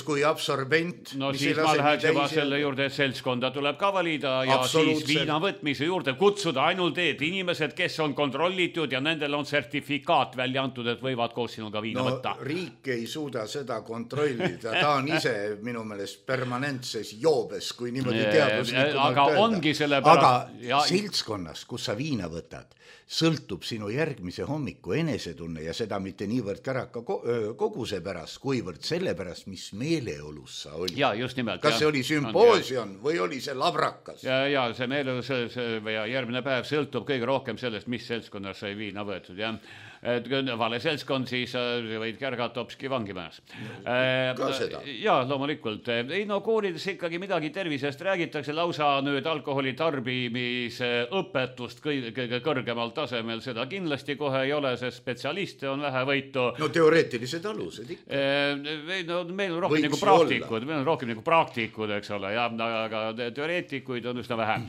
kui absorbent. No siis ma läheks juba selle juurde, et seltskonda tuleb ka valida ja siis viina võtmise juurde kutsuda ainult inimesed, kes on kontrollitud ja nendel on sertifikaat välja antud, et võivad koos sinuga viina võtta. Riik ei suuda seda kontrollida, ta on ise minu meelest permanentses joobes, kui niimoodi teaduslikumalt öelda. Aga seltskonnas, kus sa viina võtad, sõltub sinu järgmise hommiku enesetunne ja seda mitte niivõrd käraka koguse pärast, kuivõrd selle pärast, mis meeleolus sa oli. Ja, just nimelt. Kas see oli sümpoosium või oli see labrakas? Ja see meeleolus ja järgmine päev sõltub kõige rohkem sellest, mis seltskonnas sai viina võetud, jah. Et vale seltskond, siis võid kärgata hopski vangimajas. Ka seda? Ja, loomulikult. Ei, no koolides ikkagi midagi tervisest räägitakse, lausa nüüd alkoholi tarbimise õpetust kõige kõrgemal tasemel, seda kindlasti kohe ei ole, sest spetsialiste on vähe võitu. No teoreetilised alused ikka. No, meil on rohkem nagu praktikud, eks ole, ja, aga teoreetikuid on üsna vähe.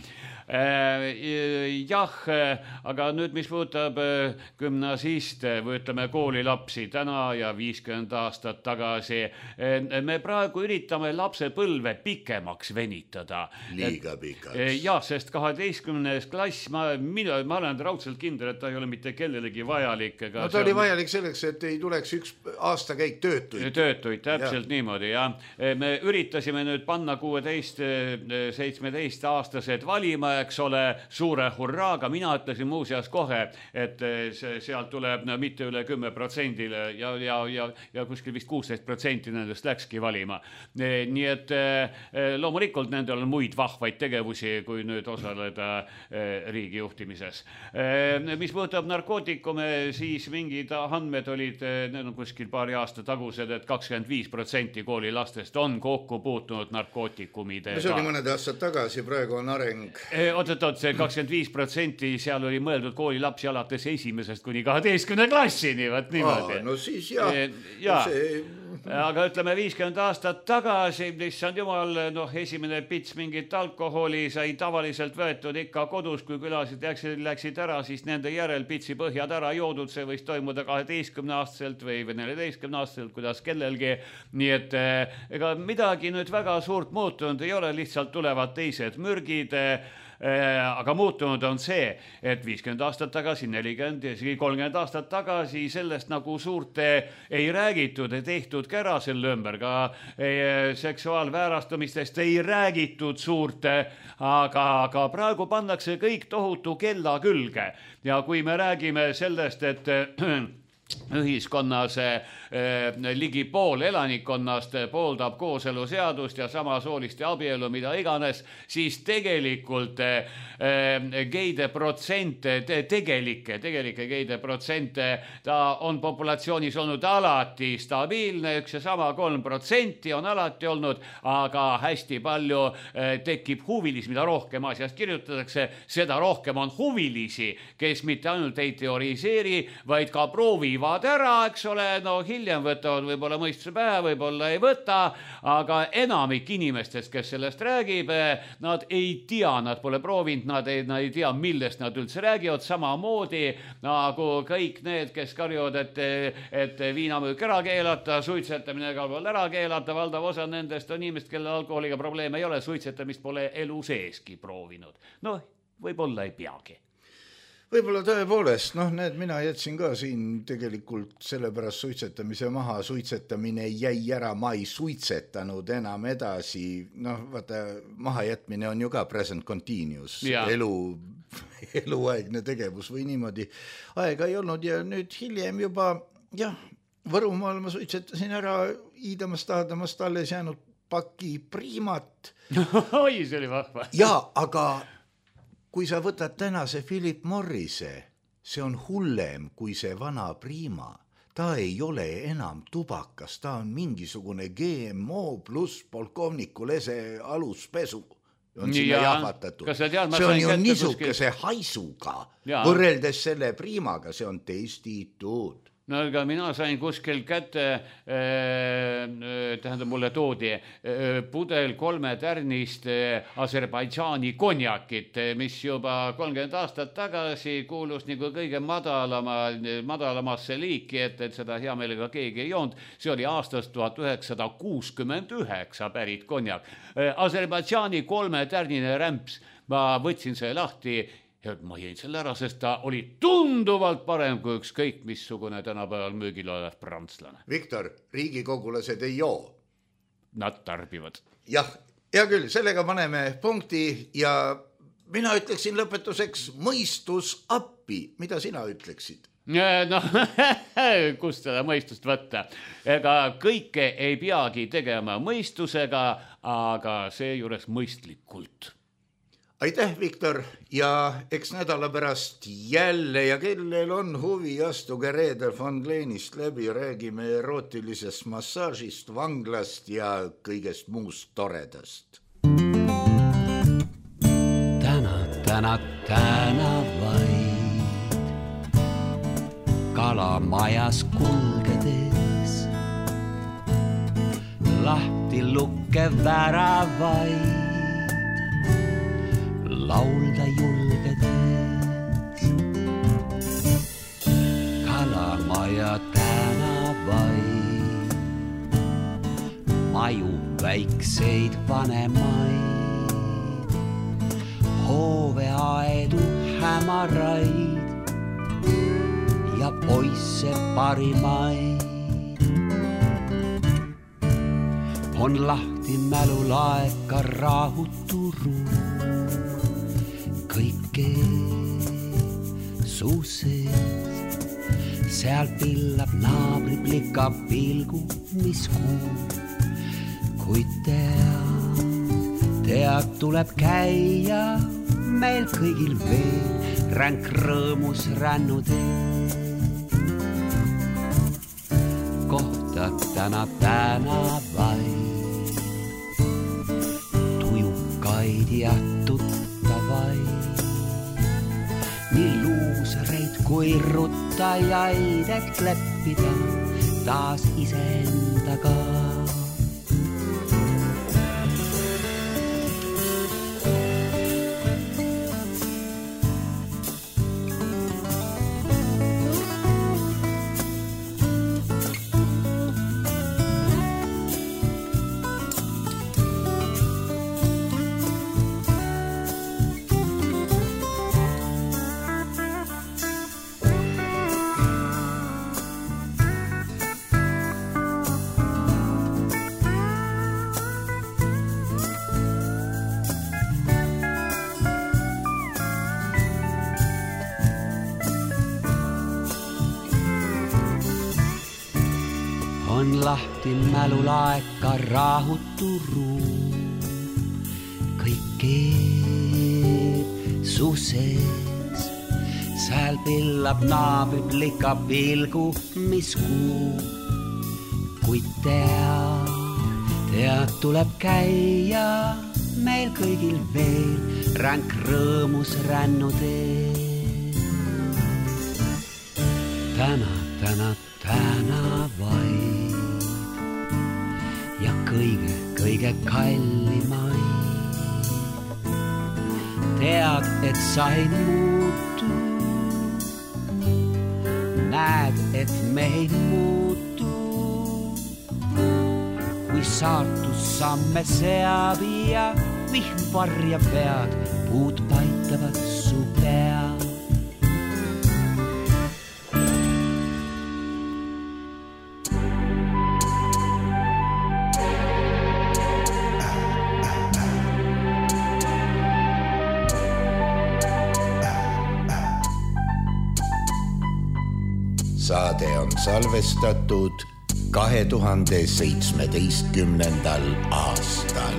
Jah, aga nüüd mis puudutab gümnasiste või ütleme koolilapsi täna ja 50 aastat tagasi, me praegu üritame lapse põlve pikemaks venitada. Liiga pikaks. Ja, sest 12. klass, ma olen raudselt kindel, et ta ei ole mitte kellelegi vajalik. No ta oli vajalik selleks, et ei tuleks üks aastakäik töötuid. Töötuid, täpselt niimoodi, ja. Me üritasime nüüd panna 16-17 aastased valima, eks ole, suure hurraaga. Mina ütlesin muuseas kohe, et sealt tuleb mitte üle 10% ja kuskil vist 16% nendest läkski valima. Nii et loomulikult nendel on muid vahvaid tegevusi, kui nüüd osaleda riigi juhtimises. Mis puudutab narkootikume, siis mingid andmed olid, need on kuskil paari aasta tagused, et 25% koolilastest on kokku puutunud narkootikumidega. See oli mõned aastad tagasi, praegu on areng. See 25% seal oli mõeldud koolilapsi alates 1. kuni 12. klassini, võt niimoodi. No siis jah. Aga ütleme 50 aastat tagasi, issand jumal, esimene pits mingit alkoholi sai tavaliselt võetud ikka kodus, kui külasid läksid ära, siis nende järel pitsi põhjad ära joodud, see võis toimuda 12-aastaselt või 14-aastaselt, kuidas kellelgi. Nii et ega midagi nüüd väga suurt muutunud ei ole, lihtsalt tulevad teised mürgid. Aga muutunud on see, et 50 aastat tagasi, 40 ja 30 aastat tagasi sellest nagu suurt ei räägitud, ei tehtud kära selle ümber, ka seksuaalväärastumistest ei räägitud suurt, aga praegu pannakse kõik tohutu kella külge ja kui me räägime sellest, et ühiskonnas ligi pool elanikkonnast pooldab kooseluseadust ja samasooliste abielu, mida iganes, siis tegelikult geide protsent, tegelikke geide protsent, ta on populatsioonis olnud alati stabiilne, üks ja sama 3% on alati olnud, aga hästi palju tekib huvilisi, mida rohkem asjast kirjutatakse, seda rohkem on huvilisi, kes mitte ainult ei teoriseeri, vaid ka proovivad ära, eks ole, hiljem võtavad võib-olla mõistuse pähe, võib-olla ei võta, aga enamik inimestest, kes sellest räägib, nad ei tea, nad pole proovinud, nad ei tea, millest nad üldse räägivad, samamoodi nagu kõik need, kes karjuvad, et viinamüük ära keelata, suitsetamine ka veel ära keelata, valdav osa nendest on inimesed, kelle alkoholiga probleeme ei ole, suitsetamist pole elu seeski proovinud. Võib-olla ei peagi. Võib-olla tõepoolest, mina jätsin ka siin tegelikult sellepärast suitsetamise maha, suitsetamine jäi ära, ma ei suitsetanud enam edasi, vaata, mahajätmine on ju ka present continuous, eluaegne tegevus või niimoodi, aega ei olnud ja nüüd hiljem juba, Võrumaal ma suitsetasin ära, iidamast alles jäänud paki priimat. Oi, see oli vahva. Aga kui sa võtad tänase Philip Morrise, see on hullem kui see vana priima. Ta ei ole enam tubakas, ta on mingisugune GMO pluss polkovniku lese aluspesu. On sinna jahvatatud. See on ju niisuguse haisuga. Võrreldes selle priimaga, see on testitud. No aga mina sain kuskil kätte, tähendab mulle toodi pudel 3 tärnist Aserbaidžaani konjakit, mis juba 30 aastat tagasi kuulus nagu kõige madalamasse liiki, et seda hea meelega keegi ei joonud. See oli aastast 1969 pärit konjak. Aserbaidžaani 3 tärnine rämps, ma võtsin see lahti. Ja ma jäin selle ära, sest ta oli tunduvalt parem kui ükskõik missugune tänapäeval müügil olev prantslane. Viktor, riigikogulased ei joo. Nad tarbivad. Jah, hea küll, sellega paneme punkti ja mina ütleksin lõpetuseks mõistus appi. Mida sina ütleksid? No, kust seda mõistust võtta? Ega kõike ei peagi tegema mõistusega, aga seejuures mõistlikult. Aitäh, Viktor, ja eks nädala pärast jälle ja kellel on huvi, astuge Reeder von Leenist läbi, räägime erootilisest massaažist, vanglast ja kõigest muust toredast. Tänavaid kalamajas kulgedes, lahti lukkev väravaid laulda julgedes. Kalamaja tänavaid, maju väikseid vanemaid, hooveaedu hämaraid ja poisse parimaid. On lahti mälulaeka rahuturu, kõike su sees. Seal pillab naabri plika pilgu, mis kuub. Kuid tead tuleb käia meil kõigil veel ränk rõõmus rännutee. Kohtad tänavaid, tujukaid ja tuttavaid, nii luusareid kui ruttajaid, et leppida taas iseendaga. On lahti mälulaeka rahuturu, kõik keeb su sees. Sääl pillab naabri plika pilgu, mis kuub. Kuid tead tuleb käia meil kõigil veel ränk rõõmus rännutee. Tänavaid ja kõige kallimaid. Tead, et sa ei muutu, näed, et me ei muutu. Kui saatus samme seab ja vihm varja pead, puud paitavad su pead. Saade on salvestatud 2017. aastal.